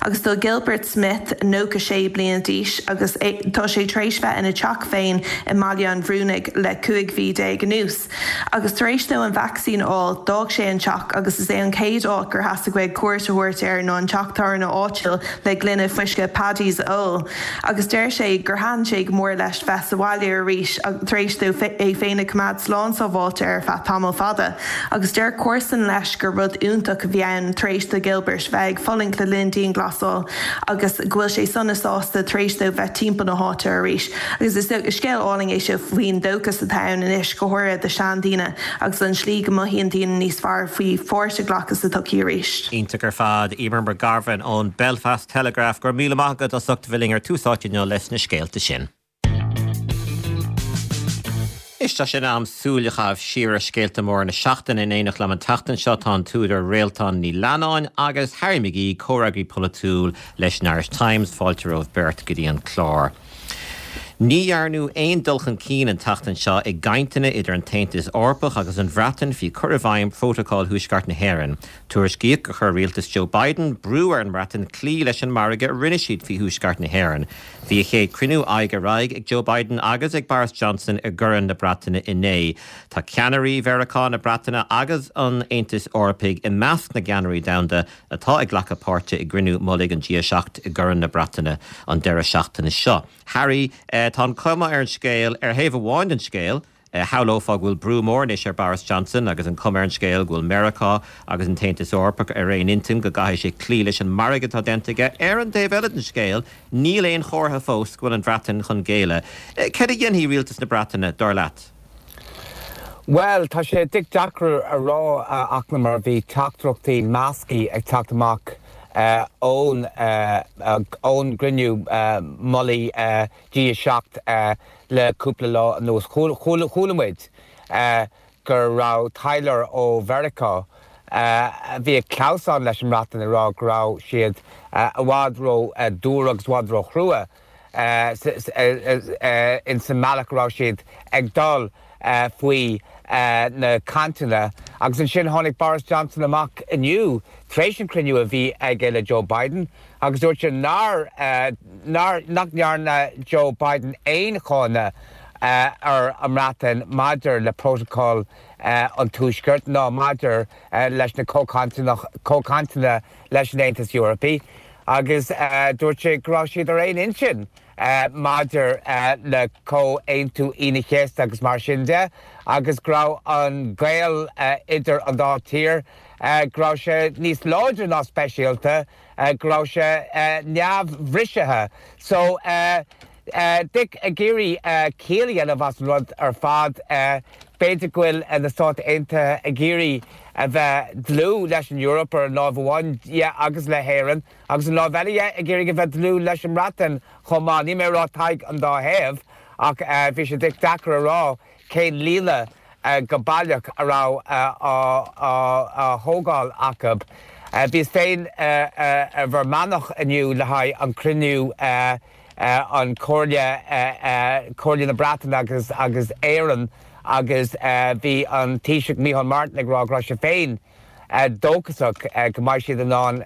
Agus tá Gilbert Smith, 96 bliana d'aois agus tá sé tar éis bheith ina teach féin i mBaile an Bhrúnaigh le 15 mhí anuas. Agus tar éis dó an vacsaín a fháil, d'fhág sé an teach agus is é an chéad áit gur theastaigh uaidh cuairt a thabhairt air ná an teach tábhairne áitiúil le gloine fuisce Paddy's a ól. Agus deir sé gur thaitin sé go mór leis bheith sa bhaile arís tar éis dó é féin a choimeád slán sábháilte ar feadh tamall fada. Agus deir comharsan leis gur rud iontach a bhí ann tar éis do Gilbert bheith ag fulaingt le linn dianghlasáil agus go bhfuil sé sona sásta tar éis dó bheith timpeall na háite arís. Agus is scéal álainn é seo faoin dóchas atá ann anois, go háirithe do seandaoine, agus an slí go mothaíonn daoine níos fearr faoi pháirt a ghlacadh sa tsochaí arís. Iontach ar fad. Eimear Mac Garbhain ón Belfast Telegraph, go raibh míle maith agat as ucht a bheith linn ar Tús Áite inniu leis na scéalta sin. Anois tá sé in am súil a chaitheamh siar ar scéalta móra na seachtaine. In éineacht liom an tseachtain seo tá an t-údar Réaltán Ní Leannáin agus Harry McGee, comhfhreagraí polaitiúil leis an Irish Times. Fáilte romhaibh beirt go dtí an clár. Ní dhearnadh aon dul chun cinn an tseachtain seo i gcainteanna idir an tAontas Eorpach agus an Bhreatain faoi chur i bhfeidhm Phrótacal Thuaisceart na hÉireann. Tuairiscíodh gur chuir rialtas Joe Biden brú ar an mBreatain cloí leis an margadh a rinne siad faoi Thuaisceart na hÉireann. Bhí a chéad chruinniú aghaidh ar aghaidh ag Joe Biden agus ag Boris Johnson i gCorn na Breataine inné. Tá ceannairí Mheiriceá, na Breataine agus an Aontais Eorpaigh i measc na gceannairí domhanda atá ag glacadh páirte i gcruinniú mullaigh an G7 i gCorn na Breataine an deireadh seachtaine seo. Harry, tá an chuma ar an scéal, ar thaobh amháin den scéal, Shamhlófá go bhfuil brú mór anois ar Boris Johnson agus an chuma ar an scéal go bhfuil Meiriceá agus an tAontas Eorpach ar aon intinn go gcaithfidh sé cloí leis an margadh atá déanta aige. Ar an dtaobh eile den scéal, níl aon chomhartha fós go bhfuil an Bhreatain chun géilleadh. Céard a dhéanfaidh rialtas na Breataine, dar leat? Bhuel, tá sé deacair a rá, a Fhachtna, mar bhí teachtaireachtaí measctha ag teacht amach ón gcruinniú mullaigh G7 le cúpla lá anuas. Chuala muid go raibh taidhleoir ó Mheiriceá a bhí ag clamhsán leis an mBreatain ag rá go raibh siad i bhfad ró dúr agus i bhfad ró chrua ins an mbealach a raibh siad ag dul faoi na cainteanna. Agus ansin tháinig Boris Johnson amach inniu tar éis an chruinniú a bhí aige le Joe Biden Agus dúirt sé nár, nár, nach ndearna Joe Biden aon cháineadh ar an mBreatain maidir le Prótacal an Tuaiscirt ná maidir leis na comhchainteanna, comhchainteanna leis an Aontas Eorpaí. Agus dúirt sé go raibh siad ar aon intinn maidir le Comhaontú Aoine an Chéasta agus mar sin de agus go raibh an gaol idir an dá tír, go raibh sé níos láidre ná speisialta. go raibh sé neamhbhrisithe. So, Dick ag iarraidh ciall a dhéanamh as an rud ar fad. B'fhéidir go bhfuil na Stáit Aontaithe ag iarraidh a bheith dlúth leis an Eoraip ar an láimh amháin dhe agus le hÉirinn agus an láimh eile dhe ag iarraidh a bheith dlúth leis an mBreatain chomh maith. Níl mé ag rá Tadhg an dá thaobh ach bhí sé deacair a rá cén líne go baileach a raibh á thógáil acu. Bhíos féin i bhFear Manach inniu le haghaidh an cruinniú an Comhairle, Comhairle na Breataine agus agus Éireann agus bhí an Taoiseach Micheál Martin ag rá go raibh sé féin dóchasach go mbeidh siad in ann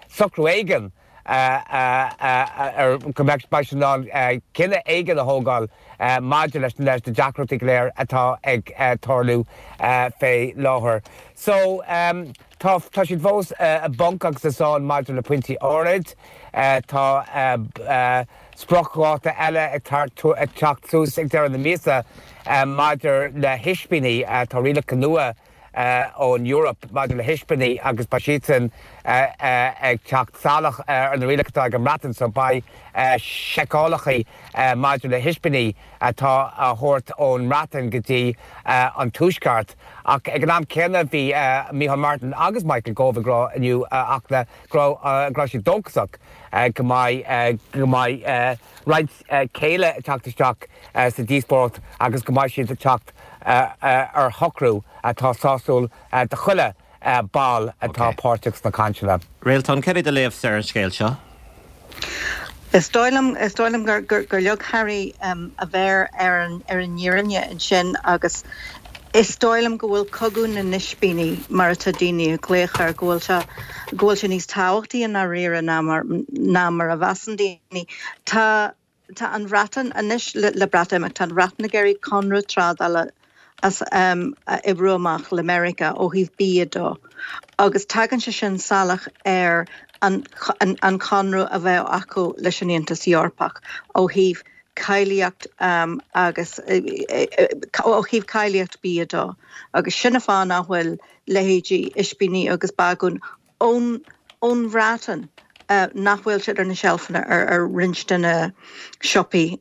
socrú éigin. Ar go mbeidh siad in ann cinneadh éigin a thógáil maidir leis na deacrachtaí go léir atá ag tarlú fé láthair. So, tá tá siad fós i bponc agus i sáinn maidir le pointí áirid. Tá spriocdháta eile ag teacht suas ag deireadh na míosa maidir le hispíní. Tá rialacha nua ón Eoraip maidir le hispíní agus beidh siadsan ag teacht salach ar na rialacha atá ag an mBreatain so beidh seiceálacha maidir le hispíní atá á thabhairt ón mBreatain go dtí an Tuaisceart. Ach ag an am céanna bhí Micheál Martin agus Michael Gove ag rá inniu a Fhachtna go raibh siad dóchasach go mbeidh go mbeidh roinnt céille ag teacht isteach sa díospóireacht agus go mbeidh siad ag teacht ar shocrú atá sásúil do chuile ball atá páirteach sna cainteanna. Réaltán, céard é do léamhsa ar an scéal seo? Is dóigh liom, is dóigh liom gur leag Harry a mhéar ar an fhírinne ansin agus is dóigh liom go bhfuil cogadh na n-ispíní, mar atá daoine ag glaoch air, go bhfuil sé, go bhfuil sé níos tábhachtaí i ndáiríre ná mar, ná mar a mheasann daoine. Tá. Tá an Bhreatain, anois le Breatimeacht, tá an Bhreatain ag iarraidh conradh trádála a oibriú amach le Meiriceá ó thaobh bia de agus tagann sé sin salach ar an chonradh a bheadh acu leis an Aontas Eorpach ó thaobh cáilíocht agus ó thaobh cáilíocht bia de agus sin an fáth nach bhfuil leithéidí ispíní agus bagún ón ón Bhreatain nach bhfuil siad ar na seilfeanna ar ar roinnt de na siopaí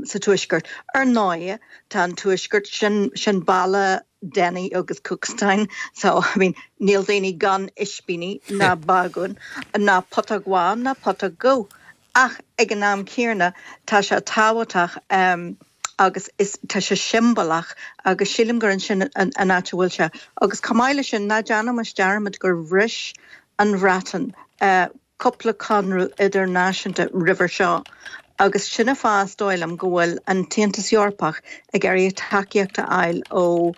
sa Tuaisceart. Ar ndóigh, tá an Tuaisceart, sin sin baile Denny agus Cookstown, so I mean níl daoine gan ispíní ná bagún ná putóg bhán ná putóg dhubh. Ach ag an am céanna, tá sé tábhachtach agus is tá sé siombalach agus sílim gur ansin an áit a bhfuil sé. Agus chomh maith leis sin, ná déanaimis dearmad gur bhris an Bhreatain cúpla conradh idirnáisiúnta roimhe seo agus sin an fáth is dóigh liom go bhfuil an tAontas Eorpach ag iarraidh tacaíocht a fháil ó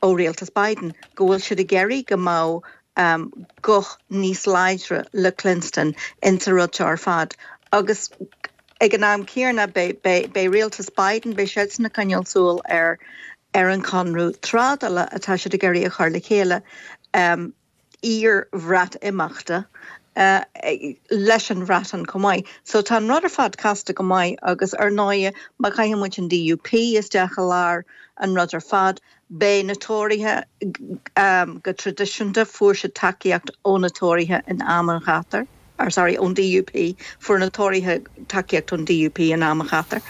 ó rialtas Biden, go bhfuil siad ag iarraidh go mbeadh guth níos láidre le cluinstin insa rud seo ar fad agus ag an am céanna beidh rialtas Biden, beidh siadsan ag coinneáil súil ar ar an chonradh trádála atá siad ag iarraidh a chur le chéile iar-Bhreatimeachta leis an Bhreatain chomh maith. So tá an rud ar fad casta go maith agus ar ndóighe má chaitheann muid an DUP isteach i lár an rud ar fad, Beidh na Tóraithe, go traidisiúnta, fuair siad tacaíocht ó na Tóraithe in am an ghátair, or sorry, ón DUP, fuair na Tóraithe tacaíocht ón DUP in am an ghátair.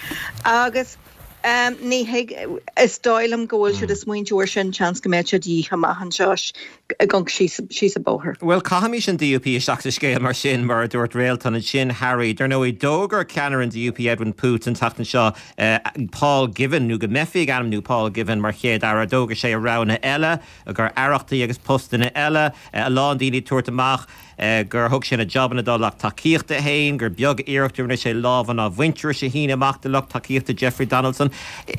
Agus ní thig, is dóigh liom go bhfuil siad ag smaointiú air sin, seans go mbeadh sé de dhíth amach anseo ag amharc síos an bóthar. Bhuel, caithimis an DUP isteach sa scéal mar sin, mar a dúirt Réaltán ansin, Harry. Dar ndóigh, d'fhógair ceannaire an DUP, Edwin Poots, an tseachtain seo Paul Givan, nó go mbeifí ag ainmniú Paul Givan mar Chéad-Aire. D'fhógair sé a roghanna eile, gur aireachtaí agus postanna eile, a lán daoine ag tabhairt amach gur thug sé na jabanna dá lucht tacaíochta féin, gur beag iarracht a rinne sé lámha an mhuintearais a shíneadh amach do lucht tacaíochta Jeffrey Donaldson.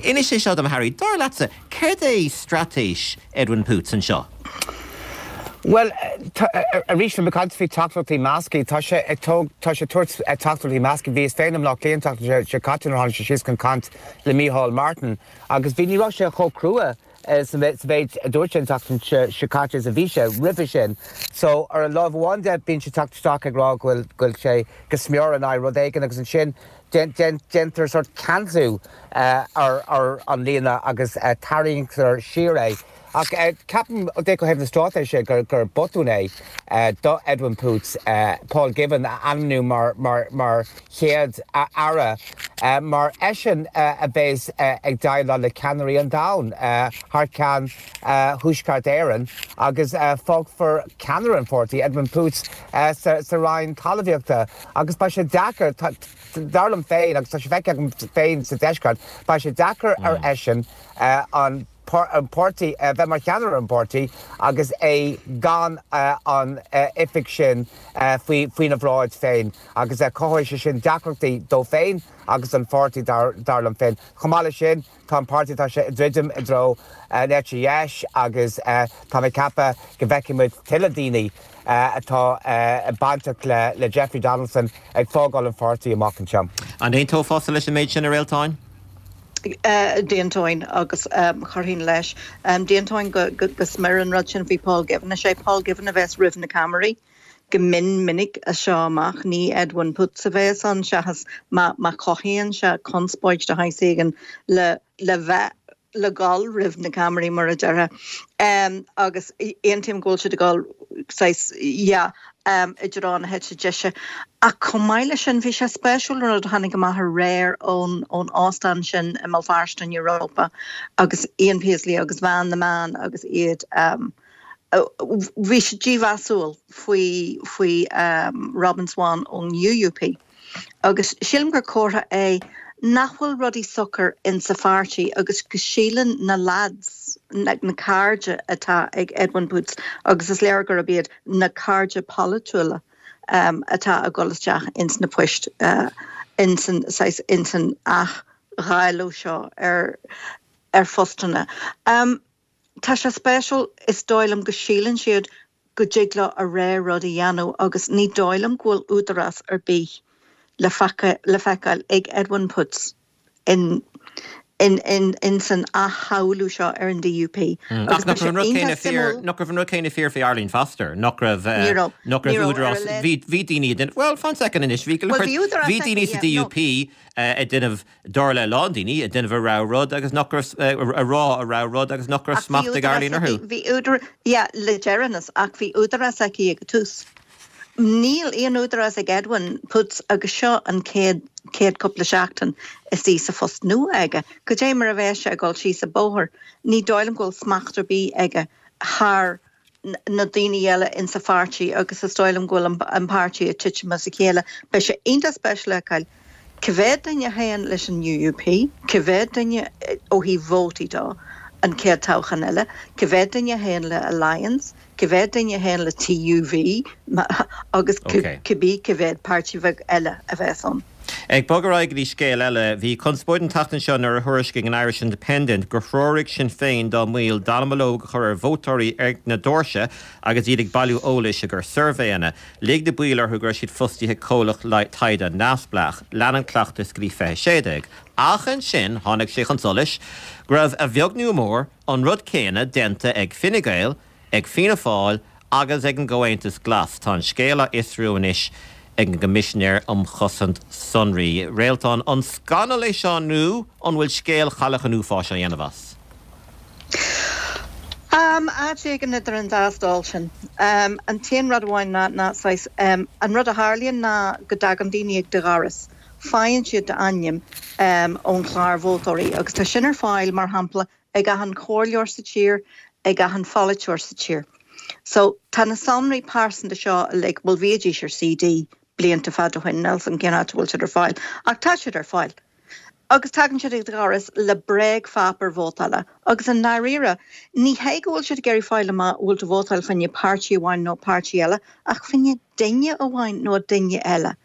Inis é seo dom, Harry, dar leatsa, céard é straitéis Edwin Poots anseo? Bhuel, arís, bhí mé ag caint faoi teachtaireachtaí measctha. Tá sé ag tá sé ag tabhairt teachtaireachtaí measctha. Bhíos féin i mBleá Cliath an tseachtain seo caite nuair a tháinig sé síos chun caint le Micheál Martin agus bhí, ní raibh sé chomh crua sa mhéid a dúirt sé an tseachtain seo caite is a bhí sé roimhe sin. So, ar an láimh amháin de, bíonn sé ag teacht isteach ag rá go bhfuil, go bhfuil sé go smior in aghaidh rud éigin agus ansin déantar sórt ceansú ar an líne agus tarraingtear siar é. Ach ceapaim, ó thaobh na straitéise, gur botún é do Edwin Poots Paul Givan a ainmniú mar chéad aire, mar eisean a bheas ag déileáil le ceannairí an domhain thar ceann Thuaisceart Éireann agus fágfar ceannaire an pháirtí, Edwin Poots, sa Roinn Talmhaíochta agus beidh sé deacair, dar liom féin, agus tá sé feicthe agam féin sa deisceart, beidh sé deacair ar eisean an. an páirtí, bheith mar cheannaire an pháirtí agus é gan an oifig sin faoina bhráid féin agus cothóidh sé sin deacrachtaí dó féin agus don pháirtí dar liom féin. Chomh maith leis sin, tá an páirtí, tá sé ag druidim i dtreo an eite dheis agus tá mé ag ceapadh go bhfeicfidh muid tuilleadh daoine atá bainteach le Jeffrey Donaldson ag fágáil an pháirtí amach anseo. An aontófása leis an méid sin, a Réaltáin? D'aontóinn agus chuirfinn leis. D'aontóinn go smior an rud sin faoi Paul Givan. Is é Paul Givan a bheas roimh na ceamaraí go mion minic as seo amach. Ní Edwin Poots a bheas ann seachas má chothaíonn sé conspóid de shaghas éigin le bheith le dhul roimh na ceamaraí mar a déarfá. Agus aontaím go bhfuil siad ag dul saghas, yeah, i dtreo na heite deise. Ach chomh maith leis sin, bhí sé spéisiúil an rud a tháinig amach aréir ón ón óstán sin i mBéal Feirste in Europa agus Ian Paisley agus bhean na meán agus iad bhí siad dímheasúil faoi faoi Robin Swann ón UUP. Agus sílim gur comhartha é nach bhfuil rudaí socair insa pháirtí agus go síleann na lads, na cairde atá ag Edwin Poots, agus is léir gurb iad na cairde polaitiúla atá ag dul isteach ins na poist insan, saghas, insan athdháileadh seo ar ar phostanna. Tá sé spéisiúil, is dóigh liom go síleann siad go dtig leo a rogha rud a dhéanamh agus ní dóigh liom go bhfuil údarás ar bith le le feiceáil ag Edwin Poots in in in in san athshamhlú seo ar an DUP. Ach nach raibh an rud céanna fíor, nach raibh an rud céanna fíor faoi Arlene Foster, nach raibh, nach raibh údarás, bhí bhí daoine a déanamh, bhuel fan soicind anois, bhí go leor, bhí daoine sa DUP ag déanamh, Dar le a lán daoine, ag déanamh a rogha rud agus nach raibh, a rá a rogha rud agus nach raibh smacht ag Arlene orthu. Bhí údarás, yeah, le deireanas, ach bhí údarás aici ag an tús. Níl aon údarás ag Edwin Poots agus seo an chéad, chéad cúpla seachtain is í sa phost nua aige. Cad é mar a bheas sé ag dul síos an bóthar? Ní dóigh liom go bhfuil smacht ar bith aige thar na daoine eile insa pháirtí agus is dóigh liom go bhfuil an páirtí ag titim as a chéile. Beidh sé iontach spéisiúil a fheiceáil cá mhéad duine a théann leis an UUP, cá mhéad duine ó thaobh vótaí dó an chéad toghchán eile, cá mhéad duine a théann le Alliance, cá mhéad duine a théann le TUV agus cibé cá mhéad páirtí bheag eile a bheas ann. Ag bogadh ar aghaidh go dtí scéal eile, bhí conspóid an tseachtain seo nuair a thuairiscigh an Irish Independent gur threoraigh Sinn Féin dá mbaill dallamullóg a chur ar vótóirí ag na doirse agus iad ag bailiú eolais i gcomhair suirbhéanna. Lig na baill orthu go raibh siad fostaithe ag comhlacht taighde neamhspleách. Lean an cleachtas go dtí 2016. Ach ansin tháinig sé chun solais go raibh, a bheag nó a mhór, an rud céanna déanta ag Fine Gael, ag Fianna Fáil agus ag an gComhaontas Glas. Tá an scéal á fhiosrú anois ag an gCoimisinéir um Chosaint Sonraí. Réaltán, an scannal é seo nó an bhfuil scéal chailleach an uafáis á dhéanamh as? Áit éigin idir an dá stól sin. An t-aon rud amháin ná, ná saghas, an rud a tharlaíonn ná go dtagann daoine ag do dhoras, faigheann siad d'ainm ón chlár vótóirí agus tá sin ar fáil, mar shampla, ag achan chomhairleoir sa tír, ag achan pholaiteoir sa tír. So, tá na sonraí pearsanta seo uilig, bhuel bhídís ar CD blianta fada ó shin, níl 's a'm cén áit a bhfuil siad ar fáil, ach tá siad ar fáil. Agus tagann siad ag do dhoras le bréagpháipéar vótála agus i ndáiríre, ní hé go bhfuil siad ag iarraidh fáil amach an bhfuil tú vótáil fá choinne páirtí amháin nó páirtí eile, ach fá choinne duine amháin nó duine eile.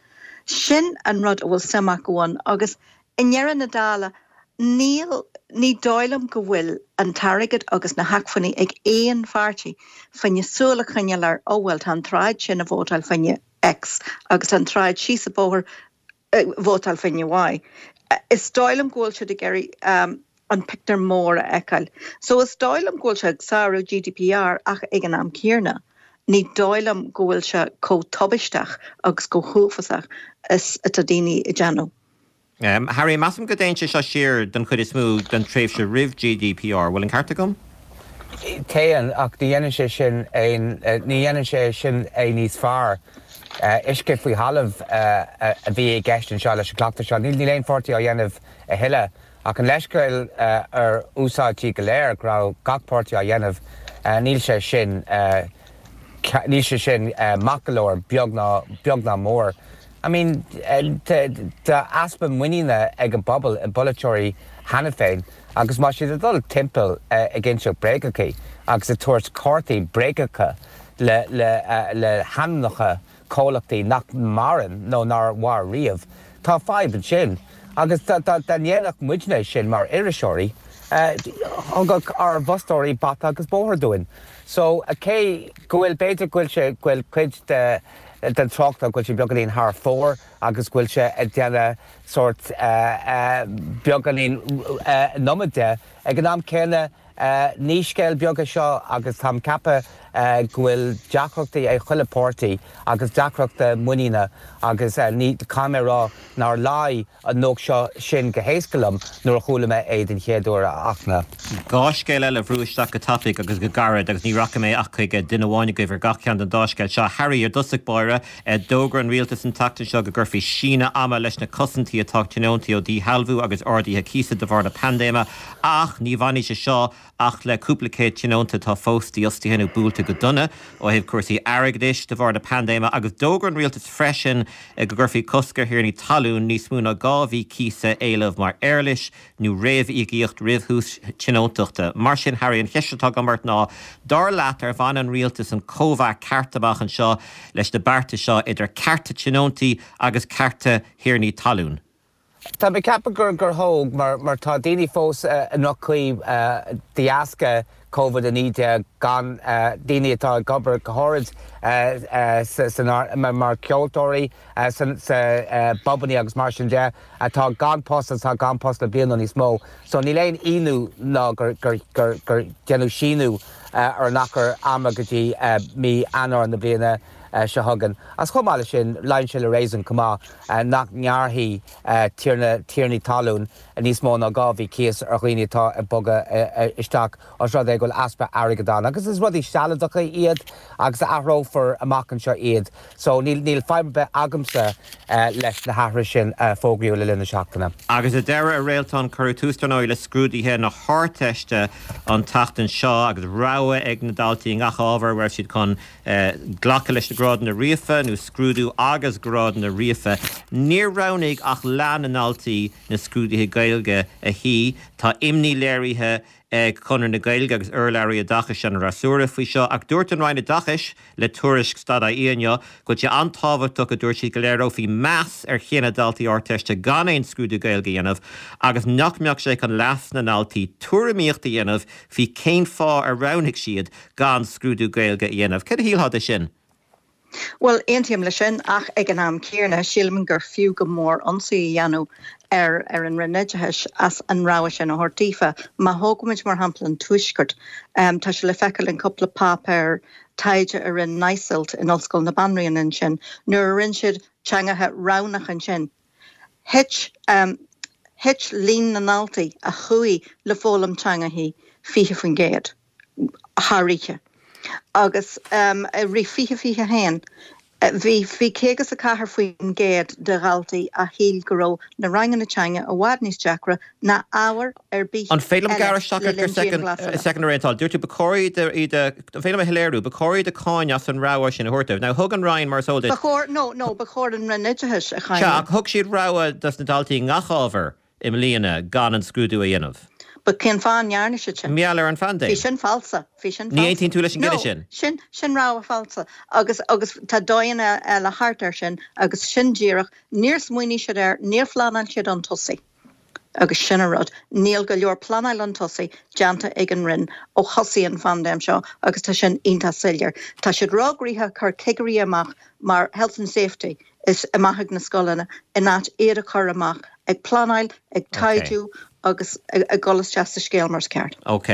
Sin an rud a bhfuil suim acu ann agus I ndeireadh na dála, níl, ní dóigh liom go bhfuil an t-airgead agus na hacmhainní ag aon pháirtí fá choinne súil a choinneáil ar, oh bhuel tá an tsráid sin ag vótáil fá choinne X agus tá an tsráid síos an bóthar ag vótáil fá choinne Y. Is dóigh liom go bhfuil siad ag iarraidh an pictiúr mór a fheiceáil. So is dóigh liom go bhfuil sé ag sárú GDPR ach ag an am céanna, ní dóigh liom go bhfuil sé chomh tubaisteach agus chomh huafásach is atá daoine ag déanamh. Harry, measaim go dtéann sé seo siar don chuid is mó don tréimhse roimh GDPR, bhfuil an ceart agam? Téann, ach ní dhéanann sé sin aon, ní dhéanann sé sin é níos fearr. Uisce faoi thalamh a bhí i gceist anseo leis an gcleachtas seo. Níl aon pháirtí á dhéanamh a thuilleadh, ach an leithscéal ar úsáidtí go léir go raibh gach páirtí á dhéanamh, níl sé sin, níl sé sin maith go leor, beag ná, beag ná mór. I mean, tá easpa muiníne ag an bpobal i bpolaiteoirí cheana féin agus má tá siad ag dul timpeall ag inseacht bréagacha agus ag tabhairt cártaí bréagacha le le hainmneacha comhlachtaí nach maireann nó nár mhair riamh, tá fadhb ansin. Agus dá ndéanfadh muidne sin mar iriseoirí, thugadh ár bhfostóirí bata agus bóthar dúinn. So, cé go bhfuil, b'fhéidir go bhfuil sé, go bhfuil cuid de, den tráchtáil go bhfuil sé beagáinín thar fóir agus go bhfuil sé ag déanamh sórt beagáinín an iomad de. Ag an am céanna, ní scéal beag é seo agus táim ag ceapadh go bhfuil deacrachtaí ag chuile páirtí agus deacrachtaí muiníne agus ní, caithfidh mé a rá nár luigh an nuacht seo sin go héasca liom nuair a chuala mé é den chéad uair, a Fhachtna. Dá scéal eile a bhrú isteach go tapaidh agus go gairid agus ní rachaidh mé ach chuig duine amháin agaibh ar gach ceann den dá scéal seo. Harry, ar dtosach báire, d'fhógair an rialtas an tseachtain seo go gcuirfí síneadh ama leis na cosaintí atá ag tionóntaí ó dhíshealbhú agus arduithe cíosa de bharr na paindéime ach ní bhainfidh sé seo ach le cúpla céad tionónta atá fós dífhostaithe nó buailte go dona ó thaobh cúrsaí airgeadais de bharr na paindéime agus d'fhógair an rialtas freisin go gcuirfí cosc ar thiarnaí talún níos mó ná 2 mhí cíosa a éileamh mar éarlais nó réamhíocaíocht roimh thús tionóntachta. Mar sin, Harry, an cheist atá agam ort ná, dar leat, ar bhain an rialtas an cóimheá ceart amach anseo leis na bearta seo idir cearta tionóntaí agus cearta thiarnaí talún? Tá mé ag ceapadh gur gur thóg, mar mar tá daoine fós i ndroch-chaoi de dheasca Covid-19, gan daoine atá ag obair go háirid san mar ceoltóirí san sa bpubannaí agus mar sin de, atá gan post agus atá gan post le bliain nó níos mó. So níl aon ionadh ná gur gur gur gur deineadh síneadh ar an achar ama go dtí mí Eanáir na bliana seo chugainn. Agus chomh maith leis sin, luíonn sé le réasún chomh maith nach ngearrfaí tiarna, tiarnaí talún níos mó ná 2 mhí cíos ar dhaoine atá ag bogadh isteach os rud é go bhfuil easpa airgid ann. Agus is rudaí sealadacha iad agus athrófar amach anseo iad. So níl, níl fadhb ar bith agamsa leis na hathruithe sin a fógraíodh le linn na seachtaine. Agus ar deireadh, a Réaltán, cuireadh tús dar ndóigh le scrúduithe na hArdteiste an tseachtain seo agus rogha ag na daltaí i ngach ábhar an raibh siad chun glacadh leis na grádanna ríofa nó scrúdú agus grádanna ríofa. Níor roghnaigh ach leath na ndaltaí na scrúduithe Gaeilge a shuí. Tá imní léirithe ag Conradh na Gaeilge agus urlabhraí oideachais an fhreasúra faoi seo ach dúirt an Roinn Oideachais le Tuairisc Stad-IE inniu go bhfuil sé an-tábhachtach a dúirt siad go léireofaí meas ar chinneadh daltaí Ardteiste gan aon scrúdú Gaeilge a dhéanamh agus nach mbeadh sé chun leas na ndaltaí tuairimíocht a dhéanamh faoi cén fáth ar roghnaigh siad gan scrúdú Gaeilge a dhéanamh. Céard a shílfeá de sin? Bhuel, aontaím leis sin, ach ag an am céanna, sílim gur fiú go mór ionsaí a dhéanamh ar ar an Roinn Oideachais as an rogha sin a thabhairt daofa. Má thógaimid mar shampla an Tuaisceart, tá sé le feiceáil in cúpla páipéar taighde a rinne NISILT in Ollscoil na Banríona ansin, nuair a rinne siad teangacha roghnacha ansin, Thit, thit líon na ndaltaí a chuaigh le foghlaim teangachaí 20% thar oíche agus i rith 2021 bhí bhí 54% de dhaltaí a shíl go raibh na ranganna teanga i bhfad níos deacra ná ábhar ar bith An féidir liom eile gearradh isteach le ort ar linn dianghlasála. soicind a Réaltán? Dúirt tú ba chóir iad a, iad a, an féidir liom a shoiléiriú, ba chóir iad a cháineadh as an rogha sin a thabhairt dóibh. Now thug an Roinn, mar is eol duit, Ba chóir, no, no, ba chóir an Roinn Oideachais a Sea, cháineadh. ach thug siad rogha dos na daltaí i ngach ábhar i mbliana gan an scrúdú a dhéanamh. But cén fáth a ndearna siad sin? Mar gheall ar an phaindéim. Bhí sin falsa. Bhí sin Ní falsa. aontaíonn tú leis an gcinneadh sin? No, sin, sin rogha falsa. Agus, agus tá dóigheanna eile thart air sin agus sin díreach, níor smaoinigh siad air, níor phleanáil siad chun tosaigh. Agus sin an rud, níl go leor pleanáil chun tosaigh déanta ag an Roinn ó thosaigh an phaindéim seo agus tá sin iontach soiléir. Tá siad róghnoitheach ag cur cigirí amach mar health and safety is amach ag na scoileanna in áit iad a chur amach ag pleanáil, ag taighdiú agus ag dul isteach sa scéal mar is ceart. Ok.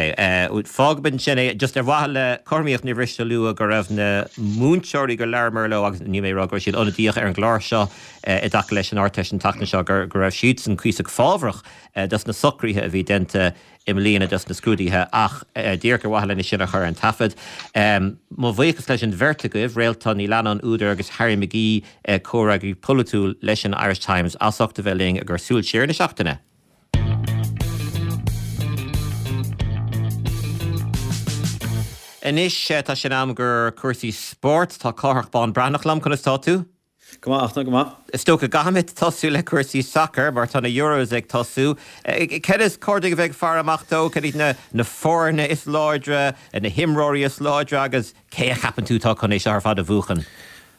Fágfaimid ansin é. Just ar mhaithe le cothromaíocht níor mhiste a lua go raibh na múinteoirí gur labhramar leo agus níl mé ag rá go raibh siad ionadaíoch ar an gclár seo i dtaca leis an Ardteist an tseachtain seo go raibh siadsan cuíosach fábhrach dos na socruithe a bhí déanta i mbliana dos na scrúduithe ach díreach ar mhaithe lena sin a chur ar an taifead. Mo bhuíochas leis an bheirt agaibh, Réaltán Ní Leannáin, údar, agus Harry McGee, comhfhreagraí polaitiúil leis an Irish Times, as ucht a bheith linn ag cur súil siar ar na seachtaine. Anois tá sé in am do chúrsaí spóirt. Tá Cárthach Bán Breathnach liom. Conas tá tú? Go maith, Fhachtna, go maith. Is dócha go gcaithfimid tosú le cúrsaí sacair mar tá na Euros ag tosú. Cad is cóir dúinn a bheith ag faire amach dó? Cad iad na foirne is láidre, na himreoirí is láidre agus cé a cheapann tú atá chun é seo ar fad a bhuachan?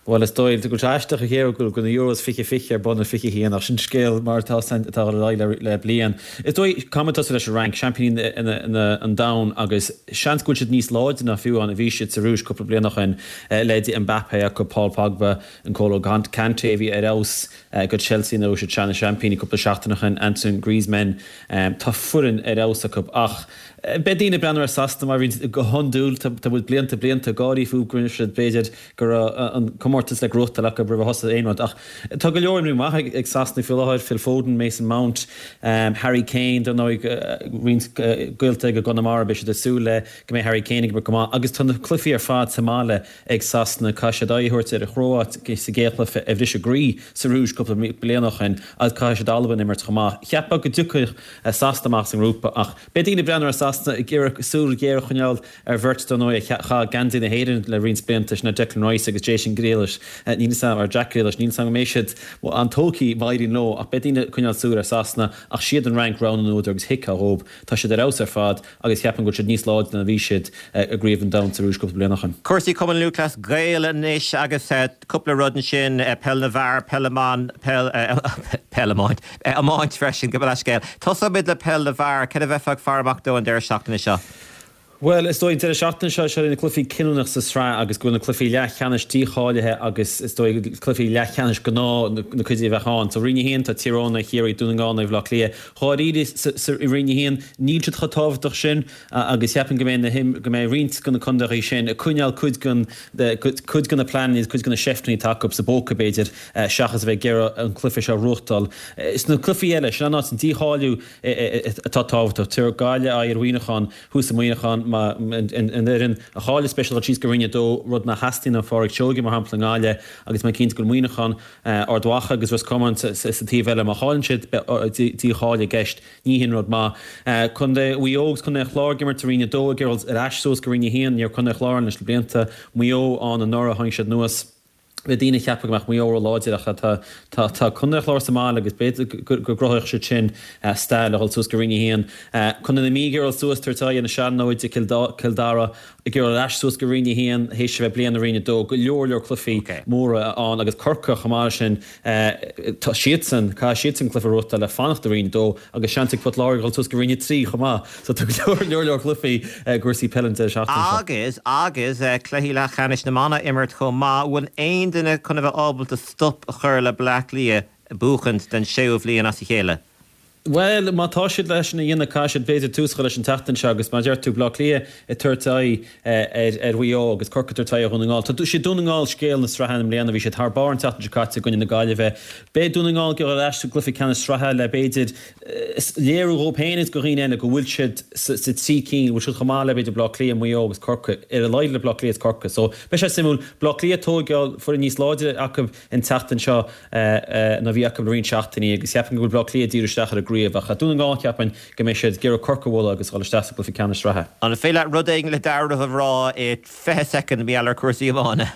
Bhuel, is dóigh go bhfuil sé aisteach a cheapadh go bhfuil na Euros 2020 ar bun i 21 ach sin scéal mar atá atá ag dul ar aghaidh le bliain. Is dóigh, caithfimid tosú leis an Fhrainc, seaimpíní an domhain agus seans go bhfuil siad níos láidre ná fiú amháin a bhí siad sa Rúis cúpla bliain ó shin, leithéidí Mbappé acu, Paul Pogba, N'Golo Kanté a bhí ar fheabhas do Chelsea nuair a bhí siad ina seaimpíní cúpla seachtain ó shin, Antoine Griezmann, tá foireann ar fheabhas acu ach beidh daoine ag breathnú ar Sasana mar bhíonn go hiondúil, tá muid blianta blianta ag gáirí fúthu go rinne siad b'fhéidir go raibh an comórtas le gnóthachtáil acu roimh a thosaigh aon rud ach tá go leor imreoirí maith ag Sasana faoi láthair, Phil Foden, Mason Mount, Harry Kane, dar ndóigh roinnt gaolta ag i gConamara beidh siad ag súil le go mbeidh Harry Kane ag imirt go maith agus tá na cluichí ar fad sa mbaile ag Sasana. Caithfidh siad aghaidh a thabhairt ar an Chróit sa gcéad chluiche a bhris a gcroí sa Rúis cúpla bliain ó shin agus caithfidh siad Albain a imirt chomh maith. Cheapfá go dtiocfadh Sasana amach as an ngrúpa ach beidh daoine ag breathnú ar Sasana ag iarraidh súil ghéar a choinneáil ar bheirt dar ndóigh a chaith geansaí na hÉireann le roinnt blianta, sin Declan Rice agus Jason Grealish. Níl 'fhios a'm, or Jack Grealish, níl 'fhios a'm go mbeidh siad an-tógtha má éiríonn leo ach beidh daoine ag coinneáil súil ar Sasana ach siad an Fhrainc rogha na n-údar agus thuigfeá dhóibh. Tá siad ar fheabhas ar fad. Agus cheapfainn go bhfuil siad níos láidre ná a bhí siad i gCraobh an Domhain sa Rúis cúpla bliain ó shin. Cúrsaí Cumann Lúthchleas Gael anois agus cúpla rud ansin, peil na bhfear, peil na mban, peil, peil iomáint, iomáint freisin, gabh mo leithscéal. Tosóimid le peil na bhfear, cad a bheifeá ag faire amach dó an deireadh seachtaine seo? Bhuel, is dóigh an deireadh seachtaine seo, seo iad na cluichí cinniúnach sa tsraith agus go bhfuil na cluichí leathcheannais dícháilithe agus is dóigh cluichí leathcheannais gnáth na cuid a bheadh ann. So Roinn 1, tá Tír Eoghain, Chiarraí, Dún na nGall, Bhaile Átha Cliath. Dháiríre, i Roinn 1, níl siad chomh tábhachtach sin agus cheapfainn go mbeidh na go mbeidh roinnt de na contaetha sin ag coinneáil cuid den cuid de na pleananna agus cuid de na seifteanna atá acu sa bpóca, b'fhéidir, seachas a bheith ag iarraidh an cluiche seo a ghnóthachtáil. Sna cluichí eile, sin an áit an dícháiliú atá tábhachtach. Tabharfaidh Gaillimh aghaidh ar Mhuineachán thuas i Muineachán, má an fhoireann a chailleas beidh siad ag dul síos go Roinn 2, rud nach theastaíonn ó Phádraig Seoige, mar shampla, i nGaillimh agus mé cinnte go bhfuil Muineachán Ard Mhacha agus Ros Comáin sa taobh eile. Má chailleann siad, beidh dícháiliú i gceist. Ní hin rud maith. Contae Mhaigh Eo agus Contae an Chláir ag imirt i Roinn 2 ag iarraidh dul ar ais suas go Roinn 1. Ní raibh Contae an Chláir ann leis na blianta. Maigh Eo ann anuraidh, tháinig siad anuas. Bhí daoine ag ceapadh go mbeadh Maigh Eo ró-láidir ach tá tá Contae an Chláir sa mbaile agus b'fhéidir go gcruthódh siad sin stair le dhul suas go Roinn 1. Contae na Mí ag iarraidh dul suas, tabhairt aghaidh ar na Sean-Nóid i gCill Dara. Ag iarraidh ar ais suas go Roinn 1 théis a bheith bliain i Roinn 2, go leor leor cluichí móra ann agus Corcaigh chomh maith leis sin, tá siadsan, caithfidh siadsan cluiche a ghnóthachtáil le fanacht i Roinn 2 agus seans ag Port Láirge dul suas go Roinn 3 chomh maith. So tá go leor leor cluichí i gcúrsaí peile an deireadh seachtaine seo. Agus, agus cluichí leathcheannais na mban á imirt chomh maith, bhfuil aon duine chun a bheith ábalta stop a chur le Bleá Cliath buachaint den séú bhliain as a chéile? Bhuel, má tá siad leis sin a dhéanamh, caithfidh siad, b'fhéidir, tús a chur leis an tseachtain seo agus, mar a deir tú, Bleá Cliath ag tabhairt aghaidh ar Mhaigh Eo agus Corcaigh ag tabhairt aghaidh ar Dhún na Ngall. Tá, siad Dún na nGall scéal na sraithe i mbliana, bhí siad thar barr an tseachtain seo caite i gcoinne na Gaillimhe. Beidh Dún na nGall ag dul ar ais sa gcluiche ceannais sraithe le, b'fhéidir, léiriú dhóibh féin agus do dhaoine eile go bhfuil siad sa trí cinn, go bhfuil siad chomh maith le, b'fhéidir, Bleá Cliath, Maigh Eo agus Corcaigh, ar a laghad le Bleá Cliath is Corcaigh. So, beidh sé suimiúil. Bleá Cliath ag tógáil foireann níos láidre acu an tseachtain seo. ná bhí acu le roinnt seachtainí agus cheapfainn go bhfuil Bleá Cliath ag díriú isteach ar an gcraobh ach Dún na nGall cheapfainn go mbeidh siad ag iarraidh Corcaigh a bhualadh agus dhul isteach sa gcluiche ceannais sraithe. An féidir leat rud éigin le dealramh a rá i 20 soicind mar gheall ar cúrsaí iomána?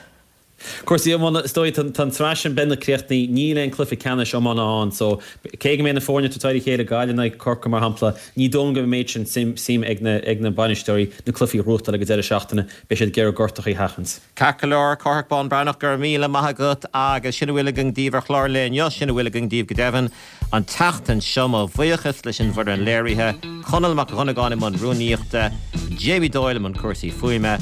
Cúrsaí iomána, is dóigh, tá an tsraith sin beagnach críochnaithe, níl aon cluiche ceannais iomána ann so cé go mbeidh na foirne ag tabhairt aghaidh ar a chéile, Gaillimh in aghaidh Corcaigh mar shampla, ní dóigh liom go mbeidh an méid sin suim ag na bainisteoirí na cluichí a ghnóthachtáil ag an deireadh seachtaine, beidh siad ag iarraidh gortachaí a sheachaint. Ceart go leor, Cárthach Bán Breathnach, go raibh míle maith agat agus sin a bhfuil againn daoibh ar chlár an lae inniu, sin a bhfuil againn daoibh go deimhin an tseachtain seo. Mo bhuíochas leis an bhfoireann léirithe, Conall Mac Dhonnagáin i mbun rúnaíochta, Jamie Doyle i mbun cúrsaí fuaime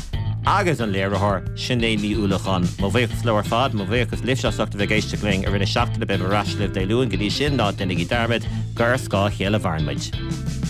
agus an léiritheoir, Sinéad Ní Uallacháin. Mo bhuíochas leo ar fad, mo bhuíochas libhse as ucht a bheith ag éisteacht linn i rith na seachtaine, beimid ar ais libh Dé Luain, go dtí sin, ná déanaigí dearmad gur ar scáth a chéile a mhaireann muid.